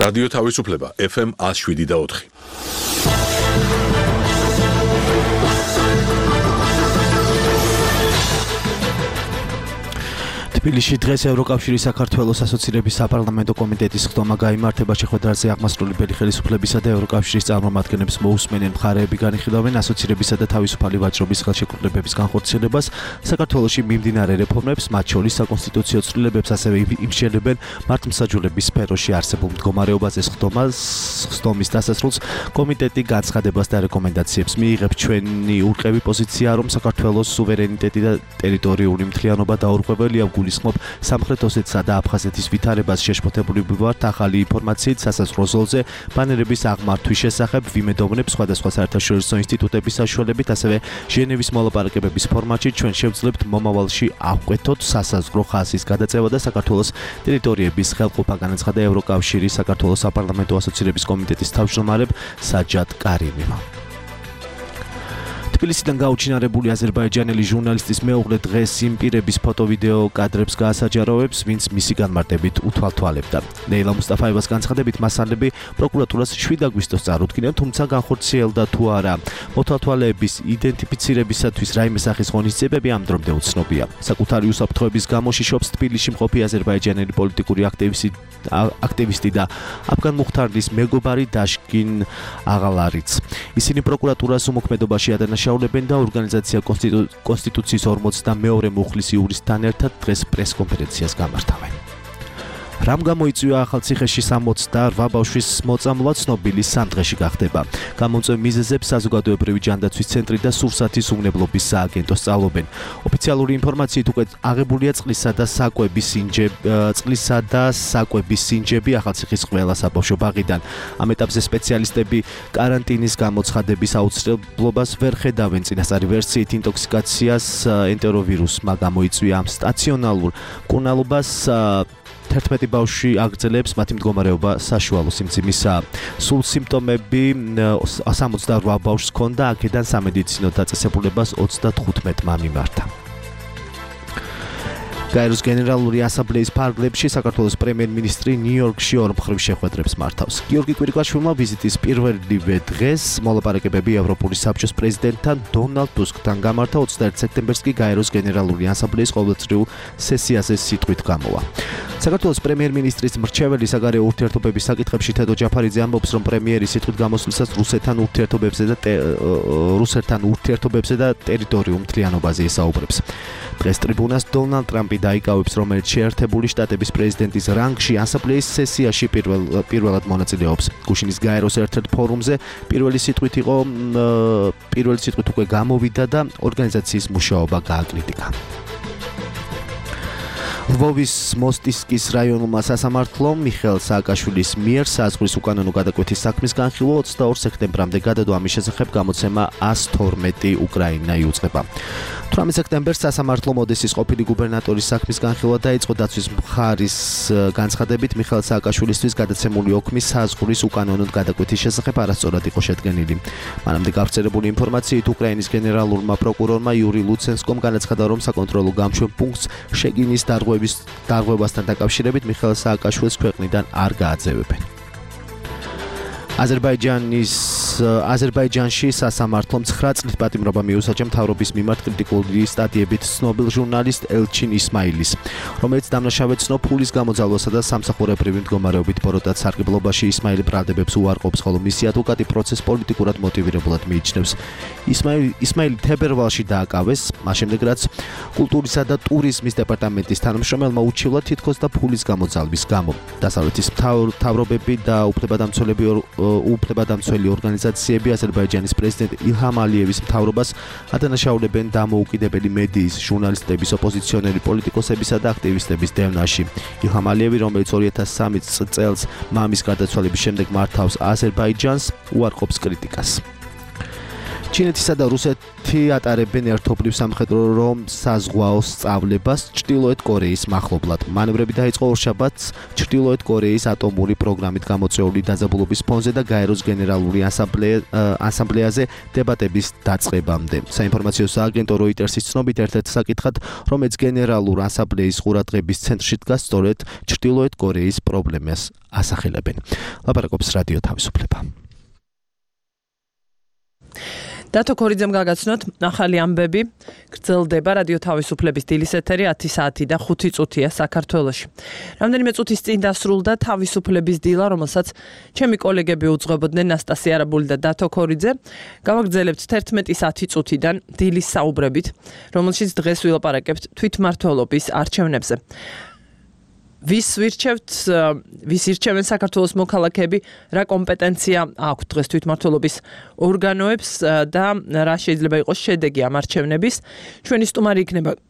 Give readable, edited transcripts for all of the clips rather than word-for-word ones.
რადიო თავისუფლება FM 107.4. თბილისში დღეს ევროკავშირის საქართველოს ასოცირების საპარლამენტო კომიტეტის ხდომა გაიმართება. შეხვედრაზე აღმასრულებელი ხელისუფლებისა და ევროკავშირის წარმომადგენლებს მოусმენენ მხარეები განიხილავენ ასოცირებისა და თავისუფალი ვაჭრობის ხელშეკრულებების განხორციელებას, საქართველოში მიმდინარე რეფორმებს, მათ შორის საკონსტიტუციო ცვლილებებს, ასევე იმსჯელებენ მართლმსაჯულების სფეროში არსებულ მდგომარეობაზე. ხდომის დასასრულს კომიტეტი განცხადებას და რეკომენდაციებს მიიღებს. ჩვენი ურყევი პოზიცია, რომ საქართველოს სუვერენიტეტი და ტერიტორიული მთლიანობა დაურღვეველია. გულისხმობ სამხრეთ ოსეთსა და აფხაზეთის ვითარებას. შეშფოთებული ვართ ახალი ინფორმაციით სასაზღვრო ზოლზე ბანერების აღმართვის შესახებ. ვიმედოვნებ სხვადასხვა საერთაშორისო ინსტიტუტების საშუალებით, ასევე ჟენევის მოლაპარაკებების ფორმატში ჩვენ შევძლებთ მომავალში ავკვეთოთ სასაზღვრო ხაზის გადაწევა და საქართველოს ტერიტორიების ხელყოფა, განაცხადა ევროკავშირის საქართველოს საპარლამენტო ასოცირების კომიტეტის თავმჯდომარე საჯად კარიმი. თბილისიდან გაუჩინარებული აზერბაიჯანელი ჟურნალისტის მეუღლე დღეს იმ პირების ფოტო-ვიდეო კადრებს გაასაჯაროვებს, ვინც მისი განმარტებით უთვალთვალებდა. ნეილა მუსტაფაევას განცხადებით, მასალები პროკურატურას 7 აგვისტოს წარუდგინეს, თუმცა განხორციელდა თუ არა. მოთვალთვალეების იდენტიფიცირებისათვის რაიმე სახის ღონისძიებები ამ დრომდე უცნობია. საკუთარი უსაფრთხოების გამო შიშობს თბილისში მყოფი აზერბაიჯანელი პოლიტიკური აქტივისტი და აფგან მუხთარლის მეგობარი დაშკინ აღალარიც. ისინი პროკურატურას უმოქმედობაში ადანაშაულებენ და ორგანიზაცია კონსტიტუციის 42 მუხლის იურისტთან ერთად დღეს პრესკონფერენციას გამართავენ. რამ გამოიწვია ახალციხეში 68 ბავშვის მოწამვლა ცნობილი სამ დღეში გახდება. გამომწვევ მიზეზებს საზოგადოებრივი ჯანდაცვის ცენტრი და სურსათის უვნებლობის სააგენტო სწავლობენ. ოფიციალური ინფორმაციით უკვე აღებულია წყლისა და საკვების სინჯები ახალციხის ყველა საბავშვო ბაღიდან. ამ ეტაპზე სპეციალისტები კარანტინის გამოცხადების აუცილებლობას ვერ ხედავენ. წინასწარი ვერსიით ინტოქსიკაციას ენტეროვირუსმა გამოიწვია ამ სტაციონალურ მკურნალობას 11 ბავშვი აგრძელებს, მათი მდგომარეობა საშუალო სიმძიმისაა. სულ სიმპტომები 68 ბავშვს ჰქონდა, აქედან სამედიცინო დაწესებულებას 35-მა მიმართა. გაეროს გენერალური ასამბლეის ფარგლებში საქართველოს პრემიერ-მინისტრი ნიუ-იორკში ორმხრივ შეხვედრებს მართავს. გიორგი კვირიკვაშვილმა ვიზიტის პირველივე დღეს მოლაპარაკებები ევროპული საბჭოს პრეზიდენტთან დონალდ ტუსკთან გამართა. 21 სექტემბერს კი გაეროს გენერალური ასამბლეის ყოველწლიურ სესიაზე სიტყვით გამოვა. საქართველოს პრემიერ-მინისტრის მრჩეველი საგარეო ურთიერთობების საკითხებში თედო ჯაფარიძე ამბობს, რომ პრემიერი სიტყვით გამოსვლისას რუსეთთან ურთიერთობებზე და ტერიტორიულ მთლიანობაზე ესაუბრებს. დღეს ტრიბუნას დონალდ ტრამპი დაიკავებს, რომელიც შეერთებული შტატების პრეზიდენტის რანგში ასამბლეის სესიაში პირველად მონაწილეობს. გუშინის გაეროს ერთ-ერთ ფორუმზე პირველი სიტყვით უკვე გამოვიდა და ორგანიზაციის მუშაობა გააკრიტიკა. ლვოვის მოსტისკის რაიონულმა სასამართლომ მიხეილ სააკაშვილის მიერ საზღვრის უკანონო გადაკვეთის საქმის განხილვა 22 სექტემბრამდე გადადო. ამის შესახებ გამოცემა 112 უკრაინა იუწყება. 18 სექტემბერს სასამართლომ ოდესის ყოფილი გუბერნატორის საქმის განხილვა დაიწყო. დაცვის მხარის განცხადებით მიხეილ სააკაშვილისთვის გადაცემული ოქმი საზღვრის უკანონოდ გადაკვეთის შესახებ არასწორად იყო შედგენილი. მანამდე გავრცელებული ინფორმაციით უკრაინის გენერალურმა პროკურორმა იური ლუცენსკომ განაცხადა, რომ საკონტროლო გამშვენ პუნქტს შეგინის დარღვევასთან დაკავშირებით მიხეილ სააკაშვილს ქვეყნიდან არ გააძევებენ. აზერბაიჯანში სასამართლომ 9 წლის პატიმრობა მიუსაჯა მთავრობის მიმართ კრიტიკული სტატიებით ცნობილ ჟურნალისტ ელჩინ ისმაილის, რომელიც დამნაშავედ ცნო ფულის გამოძალვასა და სამსახურებრივი მდგომარეობით ბოროტად სარგებლობაში. ისმაილი ბრალდებებს უარყოფს, ხოლო მისი ადვოკატი პროცესს პოლიტიკურად მოტივირებულად მიიჩნევს. ისმაილი თებერვალში დააკავეს, მას შემდეგ რაც კულტურისა და ტურიზმის დეპარტამენტის თანამშრომელმა უჩივლა თითქოს და ფულის გამოძალვის გამო. დასავლეთის მთავრობები და უფლებადამცველი ორგანიზაციები აზერბაიჯანის პრეზიდენტ ილჰამ ალიევის მთავრობას ადანაშაულებენ დამოუკიდებელი მედიის, ჟურნალისტების, ოპოზიციონერი პოლიტიკოსებისა და აქტივისტების დევნაში. ილჰამ ალიევი, რომელიც 2003 წელს მამის გარდაცვალების შემდეგ მართავს აზერბაიჯანს, უარყოფს კრიტიკას. ჩინეთისა და რუსეთი ატარებენ ერთობლივ სამხედრო რომ საზღვაო სწავლებას ჩრდილოეთ კორეის მახლობლად. მანევრები დაიწყო ორშაბათს ჩრდილოეთ კორეის ატომური პროგრამით გამოწვეული დაძაბულობის ფონზე და გაეროს გენერალური ასამბლეაზე დებატების დაწყებამდე. საინფორმაციო სააგენტო როიტერსის ცნობით ერთ-ერთ საკითხად, რომელიც გენერალურ ასამბლეის ყურადღების ცენტრში დგას, სწორედ ჩრდილოეთ კორეის პრობლემას ასახელებენ. ლაპარაკობს რადიო თავისუფლება. დათო ქორიძემ გაგაცნოთ ახალი ამბები გრძელდება რადიო თავისუფლების დილის ეთერი 10 საათი და 5 წუთია საქართველოში. რამდენიმე წუთის წინ დასრულდა თავისუფლების დილა, რომელსაც ჩემი კოლეგები უძღვებოდნენ ნასტასია არაბული და დათო ქორიძე. გავაგრძელებთ 11:10 წუთიდან დილის საუბრებით, რომელშიც დღეს ვილაპარაკებთ თვითმმართველობის არჩევნებზე. ვის ირჩევენ საქართველოს მოქალაქეები, რა კომპეტენცია აქვთ დღეს თვითმმართველობის ორგანოებს და რა შეიძლება იყოს შედეგი ამ არჩევნების. ჩვენი სტუმარი იქნება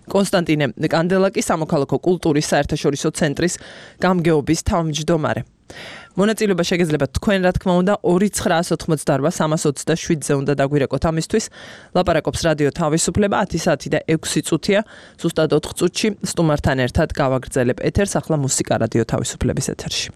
კონსტანტინე კანდელაკი, სამოქალაქო კულტურის საერთაშორისო ცენტრის გამგეობის თავმჯდომარე. მონაწილეობა შეგეძლებათ თქვენ, რა თქმა უნდა, 2988327-ზე უნდა დაგვირეკოთ ამისთვის. ლაპარაკობს რადიო თავისუფლება 10 საათი და 6 წუთია, ზუსტად 4 წუთში სტუმართან ერთად გავაგრძელებ ეთერს. ახლა მუსიკა რადიო თავისუფლების ეთერში.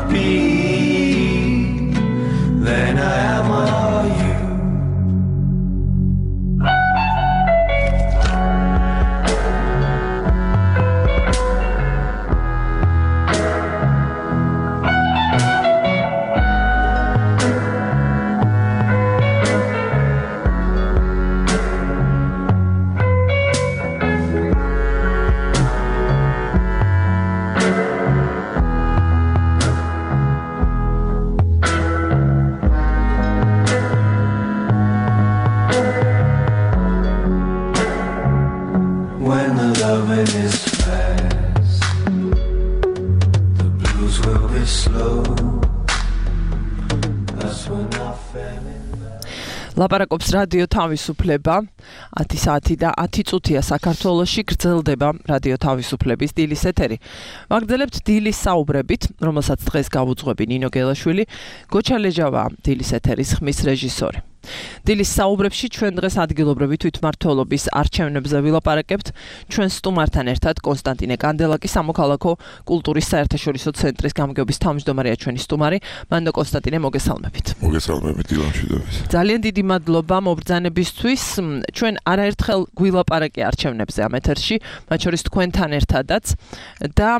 happy than I am are you. When the loving is fast, the blues will be slow. That's when I fell in love. ლაპარაკობს რადიო თავისუფლება 10 საათი და 10 წუთია საქართველოში გრძელდება რადიო თავისუფლების დილის ეთერი. ვაგრძელებთ დილის საუბრებით, რომელსაც დღეს გავუძღვები ნინო გელაშვილი, გოჩა ლეჯავა დილის ეთერის ხმის რეჟისორი. დილის საუბრებში ჩვენ დღეს ადგილობრივი თვითმმართველობის არჩევნებზე ვილაპარაკებთ ჩვენ სტუმართან ერთად კონსტანტინე კანდელაკი სამოქალაქო კულტურის საერთაშორისო ცენტრის გამგეობის თავმჯდომარეა ჩვენი სტუმარი. მანდო კონსტანტინე მოგესალმებით. მოგესალმებით დილამშვიდობის. ძალიან დიდი მადლობა მობრძანებისთვის. ჩვენ არაერთხელ გვილაპარაკე არჩევნებზე ამ ეთერში, მათ შორის თქვენთან ერთადაც და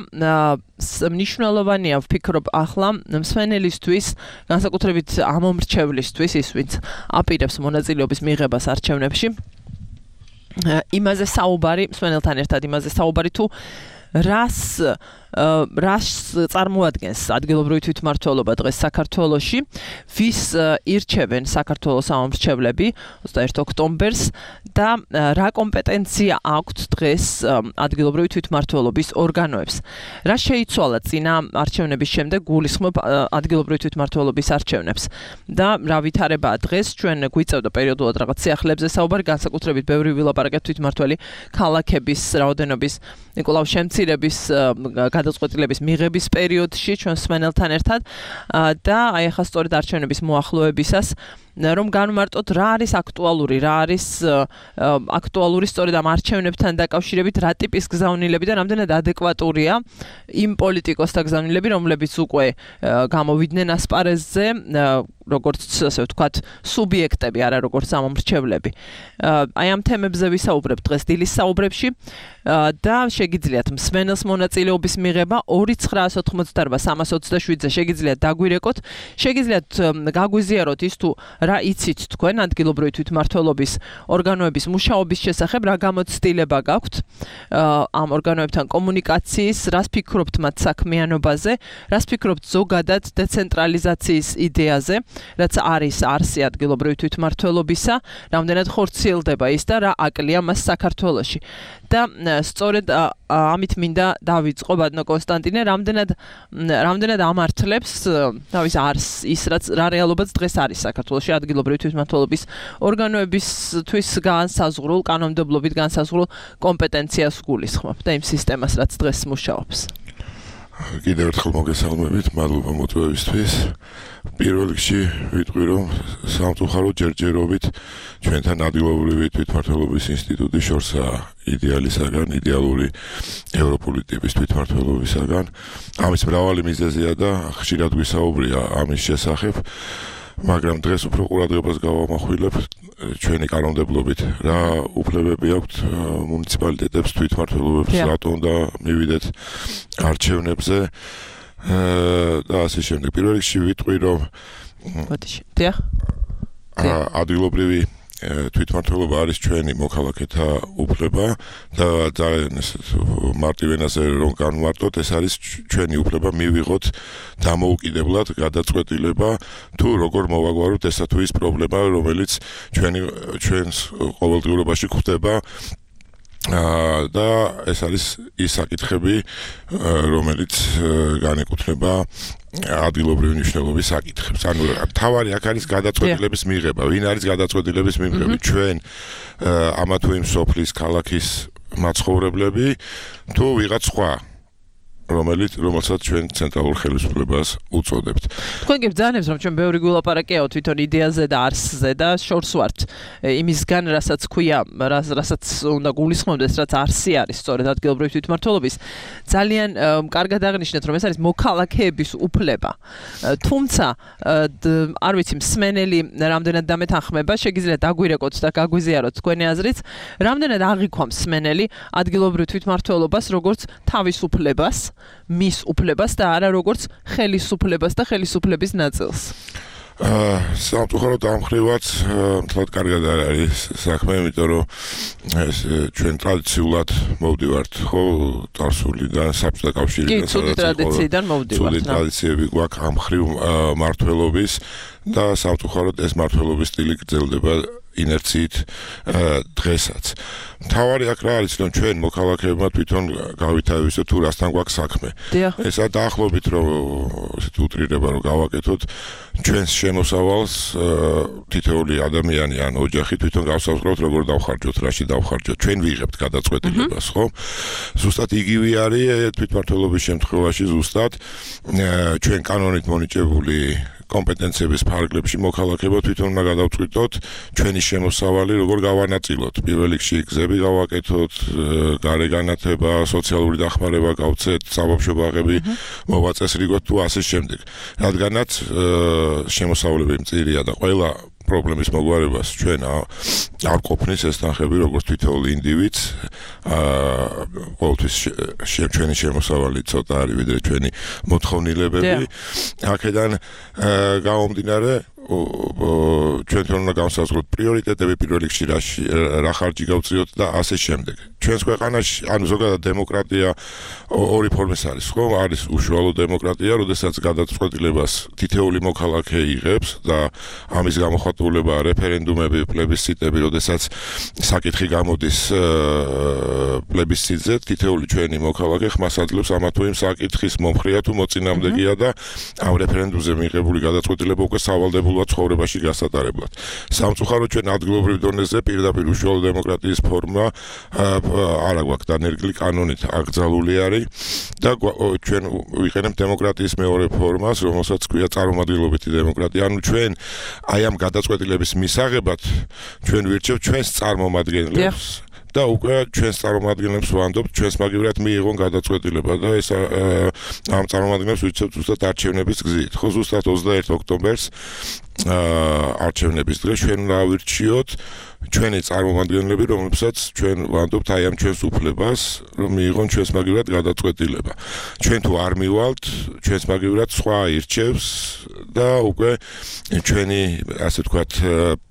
მნიშვნელოვანია ვფიქრობ ახლა მსმენელისთვის, განსაკუთრებით ამომრჩევლისთვის, ის ვინც აპირებს მონაწილეობის მიღებას არჩევნებში. იმაზე საუბარი, მსმენელთან ერთად იმაზე საუბარი თუ რას წარმოადგენს ადგილობრივი თვითმმართველობა დღეს საქართველოში, ვის ირჩევენ საქართველოს ამომრჩევლები 21 ოქტომბერს და რა კომპეტენცია აქვთ დღეს ადგილობრივი თვითმმართველობის ორგანოებს. რა შეიცვალა წინა არჩევნების შემდეგ გულისხმობ ადგილობრივი თვითმმართველობის არჩევნებს და რა ვითარებაა დღეს ჩვენ გვიწევდა პერიოდულად რაღაც სიახლეებზე საუბარი, განსაკუთრებით ბევრი ვილაპარაკეთ თვითმმართველი ქალაქების რაოდენობის ნიკოლავ შემცირების გადაწყვეტილების მიღების პერიოდში ჩვენ მსმენელთან ერთად და აი ახლა სწორედ არჩევნების მოახლოებისას რომ განვმარტოთ რა არის აქტუალური სწორედ ამ არჩევნებთან დაკავშირებით რა ტიპის გზავნილები და რამდენად ადეკვატურია იმ პოლიტიკოსთა გზავნილები, რომლებიც უკვე გამოვიდნენ ასპარეზზე როგორც ასე ვთქვათ სუბიექტები, არა როგორც ამომრჩევლები. აი ამ თემებზე ვისაუბრებთ დღეს დილის საუბრებში და შეგიძლიათ მსმენელს მონაწილეობის მიღება 2988-327-ზე შეგიძლიათ დაგვირეკოთ, შეგიძლიათ გაგვიზიაროთ ის თუ რა იცით თქვენ ადგილობრივი თვითმმართველობის ორგანოების მუშაობის შესახებ, რა გამოცდილება გაქვთ ამ ორგანოებთან კომუნიკაციის, რას ფიქრობთ მათ საქმიანობაზე, რას ფიქრობთ ზოგადად დეცენტრალიზაციის იდეაზე, რაც არის არსი ადგილობრივი თვითმმართველობისა, რამდენად ხორციელდება ის და რა აკლია მას საქართველოში. და სწორედ ამით მინდა დავიწყო ბატონო კონსტანტინე, რამდენად ამართლებს თავის არს ის რა რეალობაც დღეს არის საქართველოში ადგილობრივი თვითმმართველობის ორგანოებისთვის განსაზღვრულ კანონმდებლობით განსაზღვრულ კომპეტენციას გულისხმობ და იმ სისტემას რაც დღეს მუშაობს. კიდევ ერთხელ მოგესალმებით, მადლობა მოწვევისთვის. პირველ რიგში ვიტყვი რომ სამწუხაროდ ჯერჯერობით ჩვენთან ადგილობრივი თვითმმართველობის ინსტიტუტის შორსაა იდეალისაგან, იდეალური ევროპული ტიპის თვითმმართველობისაგან. ამის მრავალი მიზეზია და ხშირად გვისაუბრია ამის შესახებ. მაგრამ დღეს უფრო ყურადღებას გავამახვილებ ჩვენი კანონმდებლობით რა უფლებები აქვთ მუნიციპალიტეტებს თვითმმართველობებს რატომ და მივიდეთ არჩევნებზე და ასე შემდეგ. პირველ რიგში ვიტყვი რომ ადგილობრივი თვითმმართველობა არის ჩვენი მოქალაქეთა უფლება და ძალიან მარტივენაზე რომ განვარტოთ, ეს არის ჩვენი უფლება მივიღოთ დამოუკიდებლად გადაწყვეტილება თუ როგორ მოვაგვაროთ ესა თუ ის პრობლემა, რომელიც ჩვენს ყოველდღიურობაში გვხდება და ეს არის ის საკითხები, რომელიც განეკუთვნება ადგილობრივი მნიშვნელობის საკითხებს. ანუ თავარი აქ არის გადაწყვეტილების მიღება. ვინ არის გადაწყვეტილების მიღები? ჩვენ ამა თუ იმ სოფლის ქალაქის მაცხოვრებლები თუ ვიღაც სხვა რომელსაც ჩვენ ცენტრალურ ხელისუფლებას უწოდებთ. თქვენ გებძანებს რომ ჩვენ ბევრი გულაპარაკეაო თვითონ იდეაზე და არსზე და შორს ვართ იმისგან რასაც ქვია რასაც უნდა გულისხმობდეს რაც არსი არის სწორედ ადგილობრივი თვითმმართველობის ძალიან კარგად აღნიშნეთ რომ ეს არის მოქალაქეების უფლება თუმცა არ ვიცი მსმენელი რამდენად დამეთანხმება შეგიძლიათ დაგვირეკოთ და გაგვიზიაროთ თქვენი აზრით რამდენად აღიქვამს მსმენელი ადგილობრივ თვითმმართველობას როგორც თავისუფლებას მის უფლებას და არა როგორც ხელისუფლებას და ხელისუფლების ნაწილს. სამწუხაროდ ამ ხრივაც მთლად კარგად არ არის საქმე, იმიტომ რომ ეს ჩვენ ტრადიციულად მოვდივართ ხო წარსულიდან საბჭოთა კავშირიდან ცუდი ტრადიციიდან მოვდივართ. ცუდი ტრადიციები გვაქვს ამ ხრივ მმართველობის და სამწუხაროდ ეს მმართველობის სტილი გრძელდება ინერციით დღესაც. მთავარი აქ რა არის, რომ ჩვენ მოქალაქეებმა თვითონ გავითავისოთ თუ რასთან გვაქვს საქმე. ესა დაახლოებით რომ ესეთ უტრირება რომ გავაკეთოთ ჩვენს შემოსავალს თითოეული ადამიანი ან ოჯახი თვითონ გავსაზღვრავთ როგორ დავხარჯოთ, რაში დავხარჯოთ. ჩვენ ვიღებთ გადაწყვეტილებას, ხო? ზუსტად იგივე არის თვითმმართველობის შემთხვევაში ზუსტად ჩვენ კანონით მონიჭებული კომპეტენციების ფარგლებში მოქალაქეებმა თვითონ უნდა გადავწყვიტოთ ჩვენი შემოსავალი როგორ გავანაწილოთ. პირველ რიგში გზები გავაკეთოთ, გარე განათება, სოციალური დახმარება გავცეთ, საბავშვო ბაღები მოვაწესრიგოთ თუ ასე შემდეგ. რადგანაც შემოსავლები მწირია და ყველა პრობლემის მოგვარებას ჩვენ არ ყოფნის ეს თანხები როგორც თითოეულ ინდივიდს ყოველთვის ჩვენი შემოსავალი ცოტა არის ვიდრე ჩვენი მოთხოვნილებები აქედან გამომდინარე ჩვენ თვითონ უნდა გავსაზღვროთ პრიორიტეტები პირველ რიგში რა ხარჯი გავწიოთ და ასე შემდეგ. ჩვენს ქვეყანაში ანუ ზოგადად დემოკრატია ორი ფორმის არის, ხო? არის უშუალო დემოკრატია, როდესაც გადაწყვეტილებას თითოეული მოქალაქე იღებს და ამის გამოხატულებაა რეფერენდუმები, პლებისციტები, როდესაც საკითხი გამოდის პლებისციტზე, თითოეული ჩვენი მოქალაქე ხმას აძლევს ამა თუ იმ საკითხის მომხრეა თუ მოწინააღმდეგეა და ამ რეფერენდუმზე მიღებული გადაწყვეტილება უკვე სავალდებულოა ცხოვრებაში გასატარებლად. სამწუხაროდ ჩვენ ადგილობრივ დონეზე პირდაპირ უშუალო დემოკრატიის ფორმა არა გვაქვს დანერგილი კანონით აკრძალული არის და ჩვენ ვიყენებთ დემოკრატიის მეორე ფორმას, რომელსაც ქვია წარმომადგენლობითი დემოკრატია. ანუ ჩვენ აი ამ გადაწყვეტილების მისაღებად ჩვენ ვირჩევთ ჩვენს წარმომადგენლებს და უკვე ჩვენს წარმომადგენლებს ვანდობთ ჩვენს მაგივრად მიიღონ გადაწყვეტილება და ეს ამ წარმომადგენლებს ვირჩევთ ზუსტად არჩევნების გზით. ხო ზუსტად 21 ოქტომბერს არჩევნების დღეს ჩვენ ვირჩიოთ ჩვენი წარმომადგენლები, რომლებსაც ჩვენ ვანდობთ აი ამ ჩვენს უფლებას, რომ მიიღონ ჩვენს მაგივრად გადაწყვეტილება. ჩვენ თუ არ მივალთ, ჩვენს მაგივრად სხვა ირჩევს და უკვე ჩვენი ასე ვთქვათ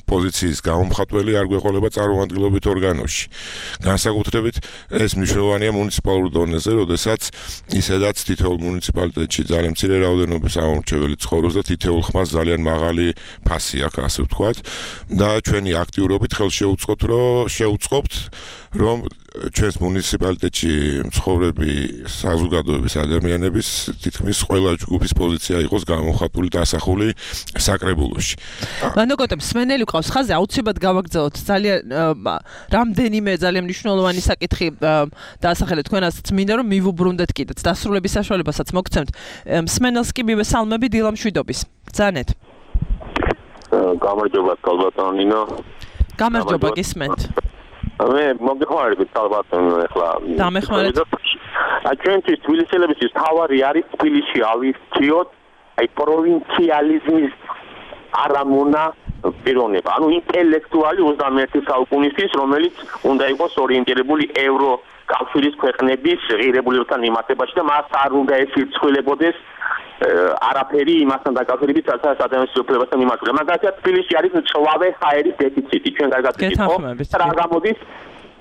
პოზიციის გამომხატველი არ გვეყოლება წარმომადგენლობით ორგანოში. განსაკუთრებით ეს მნიშვნელოვანია მუნიციპალურ დონეზე, როდესაც ისედაც თითოეულ მუნიციპალიტეტში ძალიან მცირე რაოდენობის ამომრჩეველი ცხოვრობს და თითოეულ ხმას ძალიან მაღალი ფასი აქვს, ასე ვთქვათ, და ჩვენი აქტიურობით შევუწყობთ, რომ ჩვენს მუნიციპალიტეტში მცხოვრები საზოგადოების ადამიანების თითქმის ყველა ჯგუფის პოზიცია იყოს გამოხატული და ასახული საკრებულოში. მანდოკოტებს მსმენელი ყავს ხაზე აუცილებლად გავაგრძელოთ ძალიან რამდენიმე ძალიან მნიშვნელოვანი საკითხი დაასახელეთ თქვენაც მინდა რომ მივუბრუნდეთ კიდეც დასრულების საშუალებასაც მოგცემთ მსმენელს კი მივესალმები დილა მშვიდობის ბრძანეთ გამარჯობა კალბატონო ნინო გამარჯობა გისმენთ მე მოგეხმარებით კალბატონო ახლა დამეხმარეთ ჩვენთვის თბილისელებისთვის თავარი არის თბილისში ავირჩიოთ აი პროვინციალიზმის არამონა პიროვნება ანუ ინტელექტუალი 21 საუკუნისთვის რომელიც უნდა იყოს ორიენტირებული ევრო კავშირის ქვეყნების ღირებულებასთან მიმართებაში და მას არ უნდა ეცვლებოდეს არაფერი იმასთან დაკავშირებით სადაც ადამიანის უფლებასთან მიმართული. მაგალითად თბილისში არის მწვავე ჰაერის დეფიციტი. ჩვენ კარგად ვიკითხავთ რა გამოდის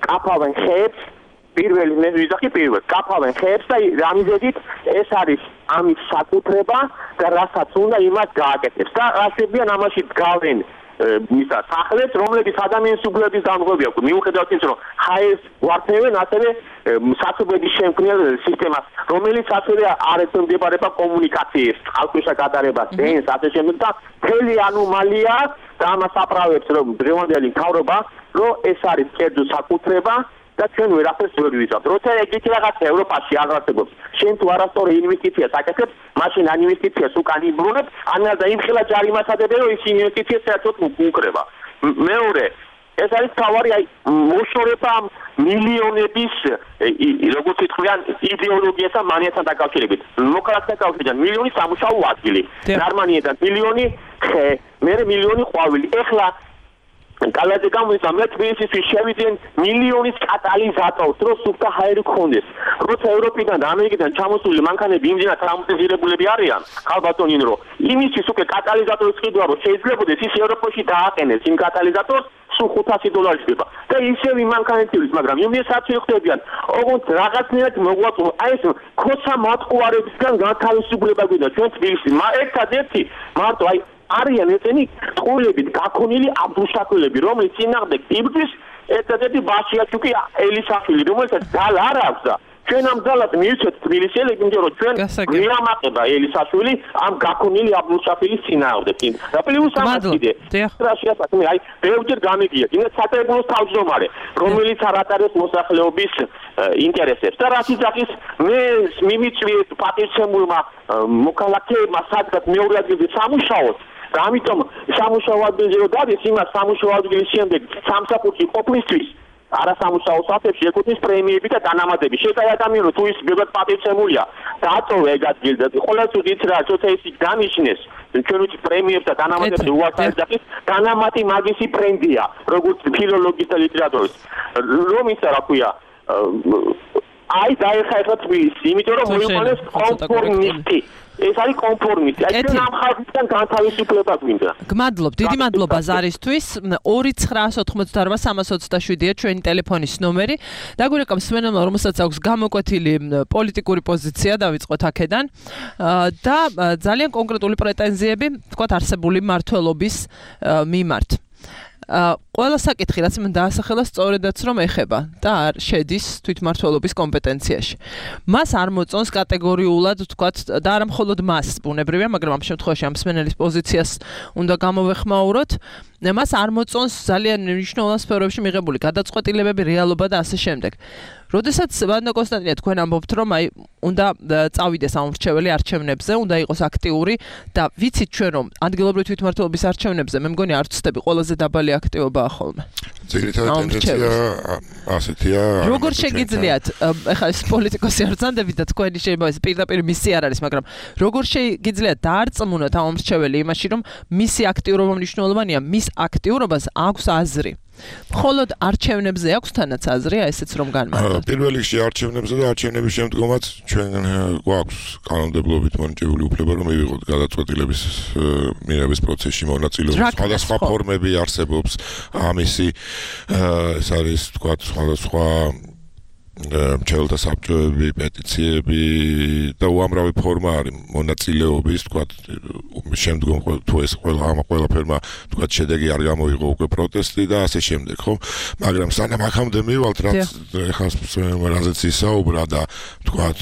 კაფავენ ხეებს პირველი მე ვიზახი პირველ კაფავენ ხეებს და რამიზედით ეს არის ამის საკუთრება და რასაც უნდა იმას გააკეთებს და ასებიან ამაში დგავენ მისა სახლებს რომლებიც ადამიანის უფლების დამღები აქვს მიუხედავად იმისა რომ ჰაერს ვარթევენ ასევე საცობების შემქმნელ სისტემას რომელიც ასევე არ ეცემდებარება კომუნიკაციებს წყალქვეშა გადარებას დენს ასე შემდეგ და მთელი ანომალია და ამას აправებს რომ დღევანდელი მთავრობა რომ ეს არის კერძო საკუთრება და ჩვენ ვერაფერს ვერ ვიზავთ. როცა ეგეთი რაღაცა ევროპაში არ არსებობს, შენ თუ არასწორი ინვესტიციას აკეთებ, მაშინ ან ინვესტიციას უკან იბრუნებ, ან და იმხელა ჯარიმას ადებენ, რომ ის ინვესტიცია საერთოდ უკრება. მეორე ეს არის თავარი მოშორება მილიონების როგორც ითქვიან იდეოლოგიასთან მანიასთან დაკავშირებით. მოქალაქეთა კავშირიდან მილიონი სამუშაო ადგილი, გერმანიიდან მილიონი ხე, მერე მილიონი ყვავილი. ეხლა კალაძე გამოიცა მე თბილისში შევიდნენ მილიონის კატალიზატორს, რომ სუფთა ჰაერი გქონდეს. როცა ევროპიდან და ამერიკიდან ჩამოსული მანქანები იმდენად ტრაუმატიზირებულები არიან, ხალბატონინ რომ იმისთვის უკვე კატალიზატორის ყიდვა რომ შეიძლებაოდეს ის ევროპაში დააყენეს იმ კატალიზატორს სულ $500 ხდება. და ისევ იმ მანქანებიც, მაგრამ იმის საერთოდ ხდებიან, ოღონდ რაღაცნაირად მოგვაწვა აი ეს ქოცა მატყუარებისგან განთავისუფლება გვინდა ჩვენ თბილისში. ერთადერთი მარტო აი არიან ესენი ტყუილებით გაქონილი აბდუშაქილები, რომლის წინააღმდეგ იბრძვის ერთადერთი ბაშიაჩუკი ელისაშვილი, რომელსაც ძალ არ აქვს და ჩვენ ამ ძალას მივცეთ თბილისელები, იმიტომ რომ ჩვენ გვიამაყება ელისაშვილი ამ გაქონილი აბდუშაქილის წინააღმდეგ. და პლუს ამას კიდე რაშიასაკმე აი ბევრჯერ გამიგია, იმეც სატრიბუნოს თავმჯდომარე, რომელიც არ ატარებს მოსახლეობის ინტერესებს. და რაც იძახის მე მიმიწვიეთ პატივცემულმა მოქალაქეებმა სადღაც მეორე ადგილზე სამუშაოს და ამიტომ სამუშაო ადგილზე რომ დადეს იმას სამუშაო ადგილის შემდეგ სამსახურში ყოფნისთვის არასამუშაო საფებში ეკუთვნის პრემიები და დანამატები. შეეცადა ადამიანო თუ ის ბევრად პატივცემულია დააწოვე ეგ ადგილი და ყოველთვის უდით რა როცა ის დანიშნეს ჩვენ ვიცი პრემიებს და დანამატებს უარყარ დაყის დანამატი მაგისი ბრენდია როგორც ფილოლოგის და ლიტერატურის რომ ისა რა ქვია აი დაიხაება თბილისი იმიტომ რომ მოიყვანეს კონფორმისტი ეს არის კონფორმისტი. აი ჩვენ ამ ხალხთან განთავისუფლება გვინდა. გმადლობ, დიდი მადლობა ზარისთვის. 2988327-ია ჩვენი ტელეფონის ნომერი. დაგვირეკავს სმენელმა, რომელსაც აქვს გამოკვეთილი პოლიტიკური პოზიცია, დავიწყოთ აქედან. და ძალიან კონკრეტული პრეტენზიები, თქვათ, არსებული მმართველობის მიმართ. ყველა საკითხი, რაც მან დაასახელა, სწორედაც რომ ეხება და არ შედის თვითმმართველობის კომპეტენციაში. მას არ მოწონს კატეგორიულად, თქვათ, და არა მხოლოდ მას, ბუნებრივია, მაგრამ ამ შემთხვევაში ამ მსმენელის პოზიციას უნდა გამოვეხმაუროთ. მას არ მოწონს ძალიან მნიშვნელოვან სფეროებში მიღებული გადაწყვეტილებები, რეალობა და ასე შემდეგ. როდესაც ვანო კონსტანტინე თქვენ ამბობთ, რომ აი უნდა წავიდეს ამორჩეველი არჩევნებზე, უნდა იყოს აქტიური და ვიცით ჩვენ რომ ადგილობრივი თვითმმართველობის არჩევნებზე მე მგონი არ ვწდები ყველაზე დაბალი აქტივობაა ხოლმე. ძირითადად ტენდენცია ასეთია. როგორ შეგიძლიათ, ეხლა ეს პოლიტიკოსი არ ძანდებით და თქვენი შეიძლება ეს პირდაპირ მისი არ არის, მაგრამ როგორ შეგიძლიათ დაარწმუნოთ ამორჩეველი იმაში, რომ მისი აქტიურობა მნიშვნელოვანია, მის აქტიურობას აქვს აზრი. მხოლოდ არჩევნებზე აქვს თანაც აზრი, ესეც რომ განმარტოთ. პირველ რიგში არჩევნებზე და არჩევნების შემდგომაც ჩვენ გვაქვს კანონმდებლობით მონიტორინგული უფლება, რომ მივიღოთ გადაწყვეტილების მიღების პროცესში მონაწილეობა. სხვადასხვა ფორმები არსებობს ამისი, ეს არის თქვათ სხვადასხვა მრჩეველთა საბჭოები, პეტიციები და უამრავი ფორმა არის მონაწილეობის, თქვათ, შემდგომ თუ ეს ყველაფერმა თქვათ შედეგი არ გამოიღო უკვე პროტესტი და ასე შემდეგ, ხო? მაგრამ სანამ აქამდე მივალთ, რაც ეხლა რაზეც ისაუბრა და თქვათ,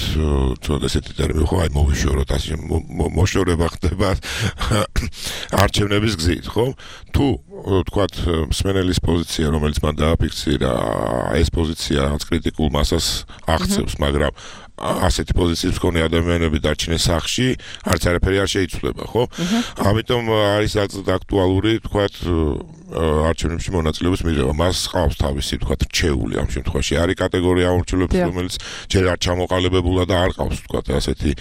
ცოტა ესეთი ტერმინი ხო, აი მოვიშოროთ, ასე მოშორება ხდება არჩევნების გზით, ხო? თუ თქვათ მსმენელის პოზიცია, რომელიც მან დააფიქსირა, ეს პოზიცია რაც კრიტიკულ მასას აღწევს, მაგრამ ასეთი პოზიციის მქონე ადამიანები დარჩნენ სახლში, არც არაფერი არ შეიცვლება, ხო? ამიტომ არის აქტუალური, თქვათ, არჩევნებში მონაწილეობის მიღება. მას ყავს თავისი, თქვათ, რჩეული ამ შემთხვევაში. არის კატეგორია ამორჩეულებს, რომელიც ჯერ არ ჩამოყალიბებულა და არ ყავს, თქვათ, ასეთი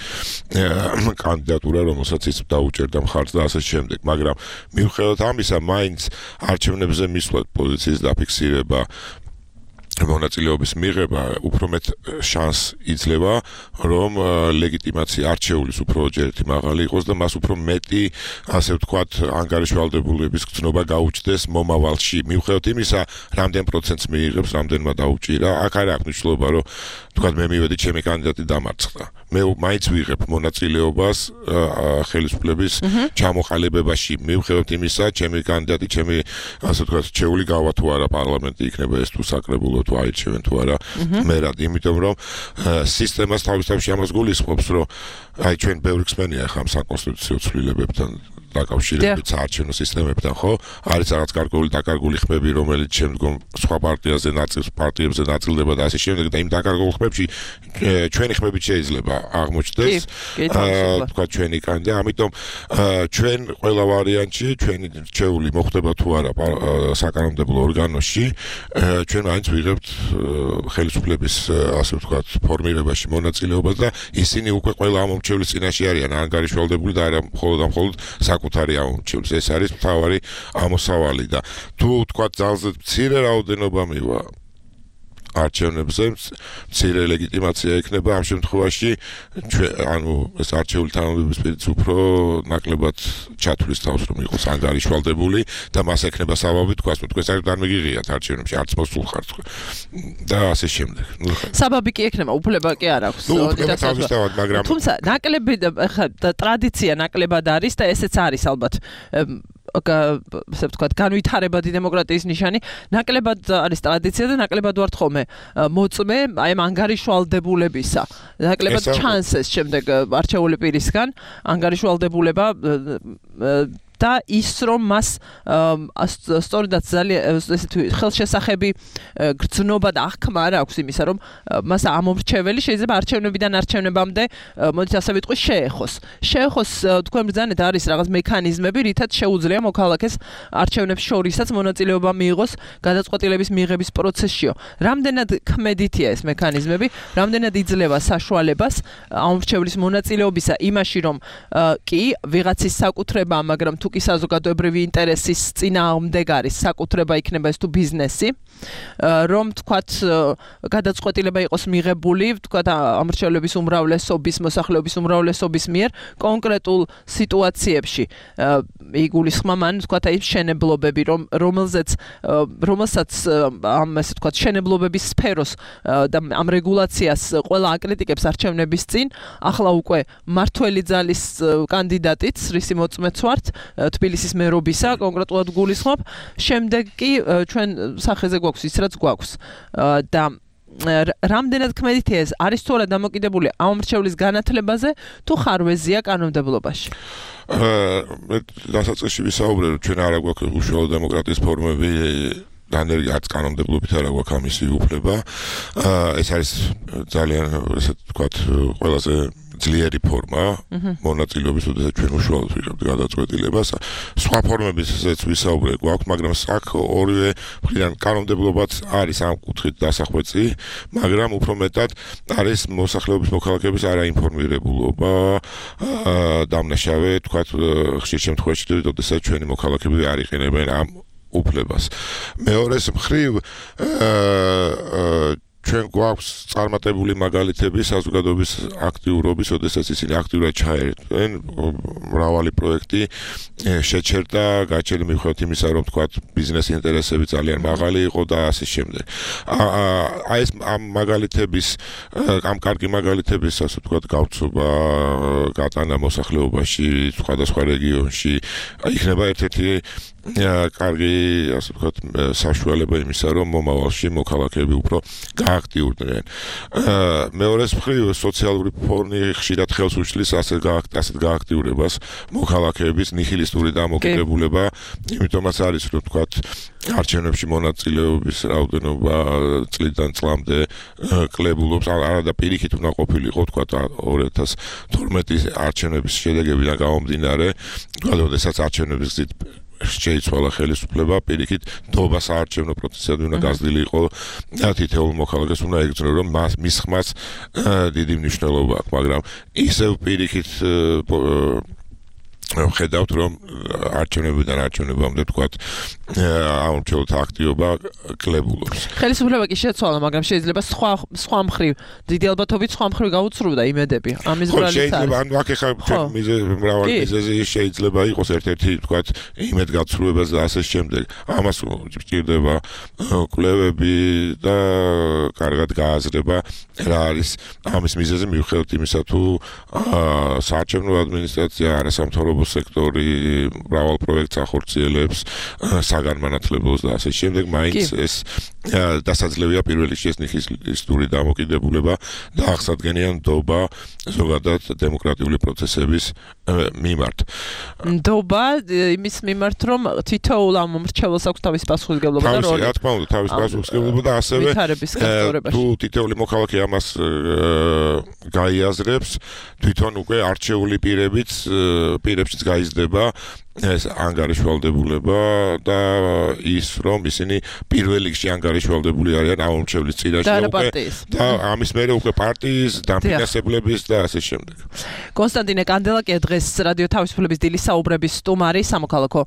კანდიდატურა, რომელსაც ის დაუჭერდა მხარს და ასე შემდეგ. მაგრამ მიუხედავად ამისა, მაინც არჩევნებზე მისვლა პოზიციის დაფიქსირება მონაწილეობის მიღება უფრო მეტ შანსს იძლევა, რომ ლეგიტიმაცია არჩეულის უფრო ჯერ ერთი მაღალი იყოს და მას უფრო მეტი, ასე ვთქვათ, ანგარიშვალდებულების გრძნობა გაუჩნდეს მომავალში. მიუხედავად იმისა, რამდენ პროცენტს მიიღებს, რამდენმა დაუჭირა, აქ არ აქვს მნიშვნელობა, რომ თქვათ, მე მივედი, ჩემი კანდიდატი დამარცხდა. მე მაინც ვიღებ მონაწილეობას ხელისუფლების ჩამოყალიბებაში. მიუხედავად იმისა, ჩემი კანდიდატი, ჩემი, ასე ვთქვათ, რჩეული გავა თუ არა პარლამენტი იქნება ეს თუ საკრებულო თუ აირჩევენ თუ არა მერად, იმიტომ რომ სისტემას თავისთავად ამას გულისხმობს, რომ აი ჩვენ ბევრი ხსენია ახლა ამ საკონსტიტუციო ცვლილებებთან დაკავშირებით საარჩევნო სისტემებთან, ხო? არის რაღაც დაკარგული ხმები, რომელიც შემდგომ სხვა პარტიებზე ნაწილდება და ასე შემდეგ და იმ დაკარგულ ხმებში ჩვენი ხმებით შეიძლება აღმოჩნდეს. თქვა ჩვენი კანდი, ამიტომ ჩვენ ყველა ვარიანტში ჩვენი რჩეული მოხდება თუ არა საკანონმდებლო ორგანოში, ჩვენ მაინც ვიღებთ ხელისუფლების ასე ვთქვათ ფორმირებაში მონაწილეობას და ისინი უკვე ყველა ამომრჩევლის წინაშე არიან ანგარიშვალდებული და არა მხოლოდ საკუთარი ამომრჩევლის. ეს არის მთავარი ამოსავალი და თუ ვთქვათ ძალზე მცირე რაოდენობა მივა არჩევნებზე მცირე ლეგიტიმაცია ექნება ამ შემთხვევაში ეს არჩეული თანამდებობის პირიც უფრო ნაკლებად ჩათვლის თავს რომ იყოს ანგარიშვალდებული და მას ექნება საბაბი თქვას არ დამიგიღიათ არჩევნებში არც მოსულ ხართ და ასე შემდეგ. საბაბი კი ექნება, უფლება კი არ აქვს. მაგრამ თუმცა ნაკლები ტრადიცია ნაკლებად არის და ესეც არის ალბათ ასე ვთქვათ, განვითარებადი დემოკრატიის ნიშანი, ნაკლებად არის ტრადიცია და ნაკლებად ვართ ხოლმე მოწმე აი ამ ანგარიშვალდებულებისა. ნაკლებად ჩანსეს შემდეგ არჩეული პირისგან ანგარიშვალდებულება და ის რომ მას სწორედაც ძალიან ესეთი ხელშესახები გრძნობა და აღქმა არ აქვს იმისა რომ მას ამომრჩეველი შეიძლება არჩევნებიდან არჩევნებამდე მოდით ასე ვიტყვი შეეხოს თქვენ ბრძანეთ არის რაღაც მექანიზმები რითაც შეუძლია მოქალაქეს არჩევნებს შორისაც მონაწილეობა მიიღოს გადაწყვეტილების მიღების პროცესშიო. რამდენად ქმედითია ეს მექანიზმები, რამდენად იძლევა საშუალებას ამომრჩევლის მონაწილეობისა იმაში რომ კი ვიღაცის საკუთრება, მაგრამ თუ კი საზოგადოებრივი ინტერესის წინააღმდეგ არის საკუთრება იქნება ეს თუ ბიზნესი, რომ თქვათ გადაწყვეტილება იყოს მიღებული, თქვათ ამრჩევლების უმრავლესობის, მოსახლეობის უმრავლესობის მიერ კონკრეტულ სიტუაციებში. იგულისხმება მან თქვათ აი მშენებლობები, რომელსაც ამ ასე თქვათ მშენებლობების სფეროს და ამ რეგულაციას ყველა აკრიტიკებს არჩევნების წინ, ახლა უკვე მართველი ძალის კანდიდატიც, რისი მოწმეც ვართ, თბილისის მერობისა კონკრეტულად გულისხმობ, შემდეგ კი ჩვენ სახეზე გვაქვს ის რაც გვაქვს და რამდენად ქმედითია ეს არის თუ არა დამოკიდებული ამომრჩევლის განათლებაზე თუ ხარვეზია კანონმდებლობაში. დასაწყისში ვისაუბრე რომ ჩვენ არა გვაქვს უშუალო დემოკრატიის ფორმები არც კანონმდებლობით არა გვაქვს ამისი უფლება. ეს არის ძალიან ესე ვთქვათ ყველაზე ძლიერი ფორმა მონაწილეობის, როდესაც ჩვენ უშუალოდ ვიღებთ გადაწყვეტილებას. სხვა ფორმებისაც ვისაუბრე გვაქვს, მაგრამ აქ ორივე მხრიდან კანონმდებლობაც არის ამ კუთხით დასახვეწი, მაგრამ უფრო მეტად არის მოსახლეობის მოქალაქეების არაინფორმირებულობა დამნაშავე, თქვათ ხშირ შემთხვევაში, როდესაც ჩვენი მოქალაქეები არ იყენებენ ამ უფლებას. მეორეს მხრივ ჩვენ გვაქვს წარმატებული მაგალითები საზოგადოების აქტიურობის, როდესაც ისინი აქტიურად ჩაერთვენ მრავალი პროექტი შეჩერდა, გაჩერდა მიუხედავად იმისა, რომ თქვათ ბიზნეს ინტერესები ძალიან მაღალი იყო და ასე შემდეგ. აი ეს ამ მაგალითების, ამ კარგი მაგალითების, ასე ვთქვათ, გავრცობა გატანა მოსახლეობაში, სხვადასხვა რეგიონში, იქნება ერთ-ერთი კარგი, ასე ვთქვათ, საშუალება იმისა, რომ მომავალში მოქალაქეები უფრო გააქტიურდნენ. მეორეს მხრივ სოციალური ფონი ხშირად ხელს უშლის ასეთ გააქტიურებას მოქალაქეების ნიჰილისტური დამოკიდებულება, იმიტომაც არის, რომ ვთქვათ, არჩევნებში მონაწილეობის რაოდენობა წლიდან წლამდე კლებულობს, არა და პირიქით უნდა ყოფილიყო, ვთქვათ, 2012 არჩევნების შედეგებიდან გამომდინარე, როდესაც არჩევნების გზით შეიცვალა ხელისუფლება, პირიქით ნდობა საარჩევნო პროცესად უნდა გაზრდილი იყო და თითოეულ მოქალაქეს უნდა ეგრძნო, რომ მის ხმას დიდი მნიშვნელობა აქვს, მაგრამ ისევ პირიქით ხედავთ, რომ არჩევნებიდან არჩევნებამდე ვთქვათ, ამომრჩეველთა აქტივობა კლებულობს. ხელისუფლება კი შეცვალა, მაგრამ შეიძლება სხვა მხრივ, დიდი ალბათობით სხვა მხრივ გაუცრუდა იმედები. ამის ბრალიც არის. შეიძლება ანუ აქ ეხლა მრავალი მიზეზი შეიძლება იყოს ერთ-ერთი, ვთქვათ, იმედგაცრუებაც და ასე შემდეგ. ამას სჭირდება კვლევები და კარგად გააზრება რა არის ამის მიზეზი მიუხედავად იმისა, თუ საარჩევნო ადმინისტრაცია არასამთავრობო სექტორი მრავალ პროექტს ახორციელებს საგანმანათლებლოს და ასე შემდეგ, მაინც ეს დასაძლევია პირველ რიგში ეთნიკისტური დამოკიდებულება და აღსადგენია ნდობა ზოგადად დემოკრატიული პროცესების მიმართ. ნდობა იმის მიმართ, რომ თითოეულ ამ მომრჩეველს აქვს თავის პასუხისმგებლობა და როლი. რა თქმა უნდა, თავის პასუხისმგებლობა და ასევე თუ თითოეული მოქალაქე ამას გაიაზრებს, თვითონ უკვე არჩეული პირებშიც გაიზრდება ეს ანგარიშვალდებულება და ის რომ ისინი პირველ რიგში ანგარიშვალდებული არიან ამომრჩევლის წინაშე და ამის მერე უკვე პარტიის დამფინანსებლების და ასე შემდეგ. კონსტანტინე კანდელაკია დღეს რადიო თავისუფლების დილის საუბრების სტუმარი სამოქალაქო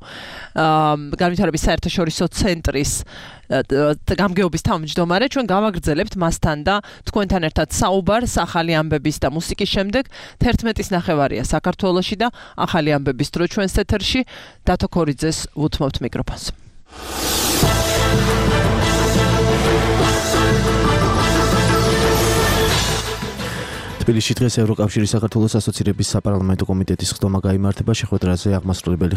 განვითარების საერთაშორისო ცენტრის გამგეობის თავმჯდომარე. ჩვენ გავაგრძელებთ მასთან და თქვენთან ერთად საუბარს ახალი ამბების და მუსიკის შემდეგ 11-ის ნახევარია საქართველოში და ახალი ამბების დრო ჩვენს ეთერში დათო ქორიძეს ვუთმობთ მიკროფონს. თბილისში დღეს ევროკავშირის საქართველოს ასოცირების საპარლამენტო კომიტეტის ხდომა გაიმართება. შეხვედრაზე აღმასრულებელი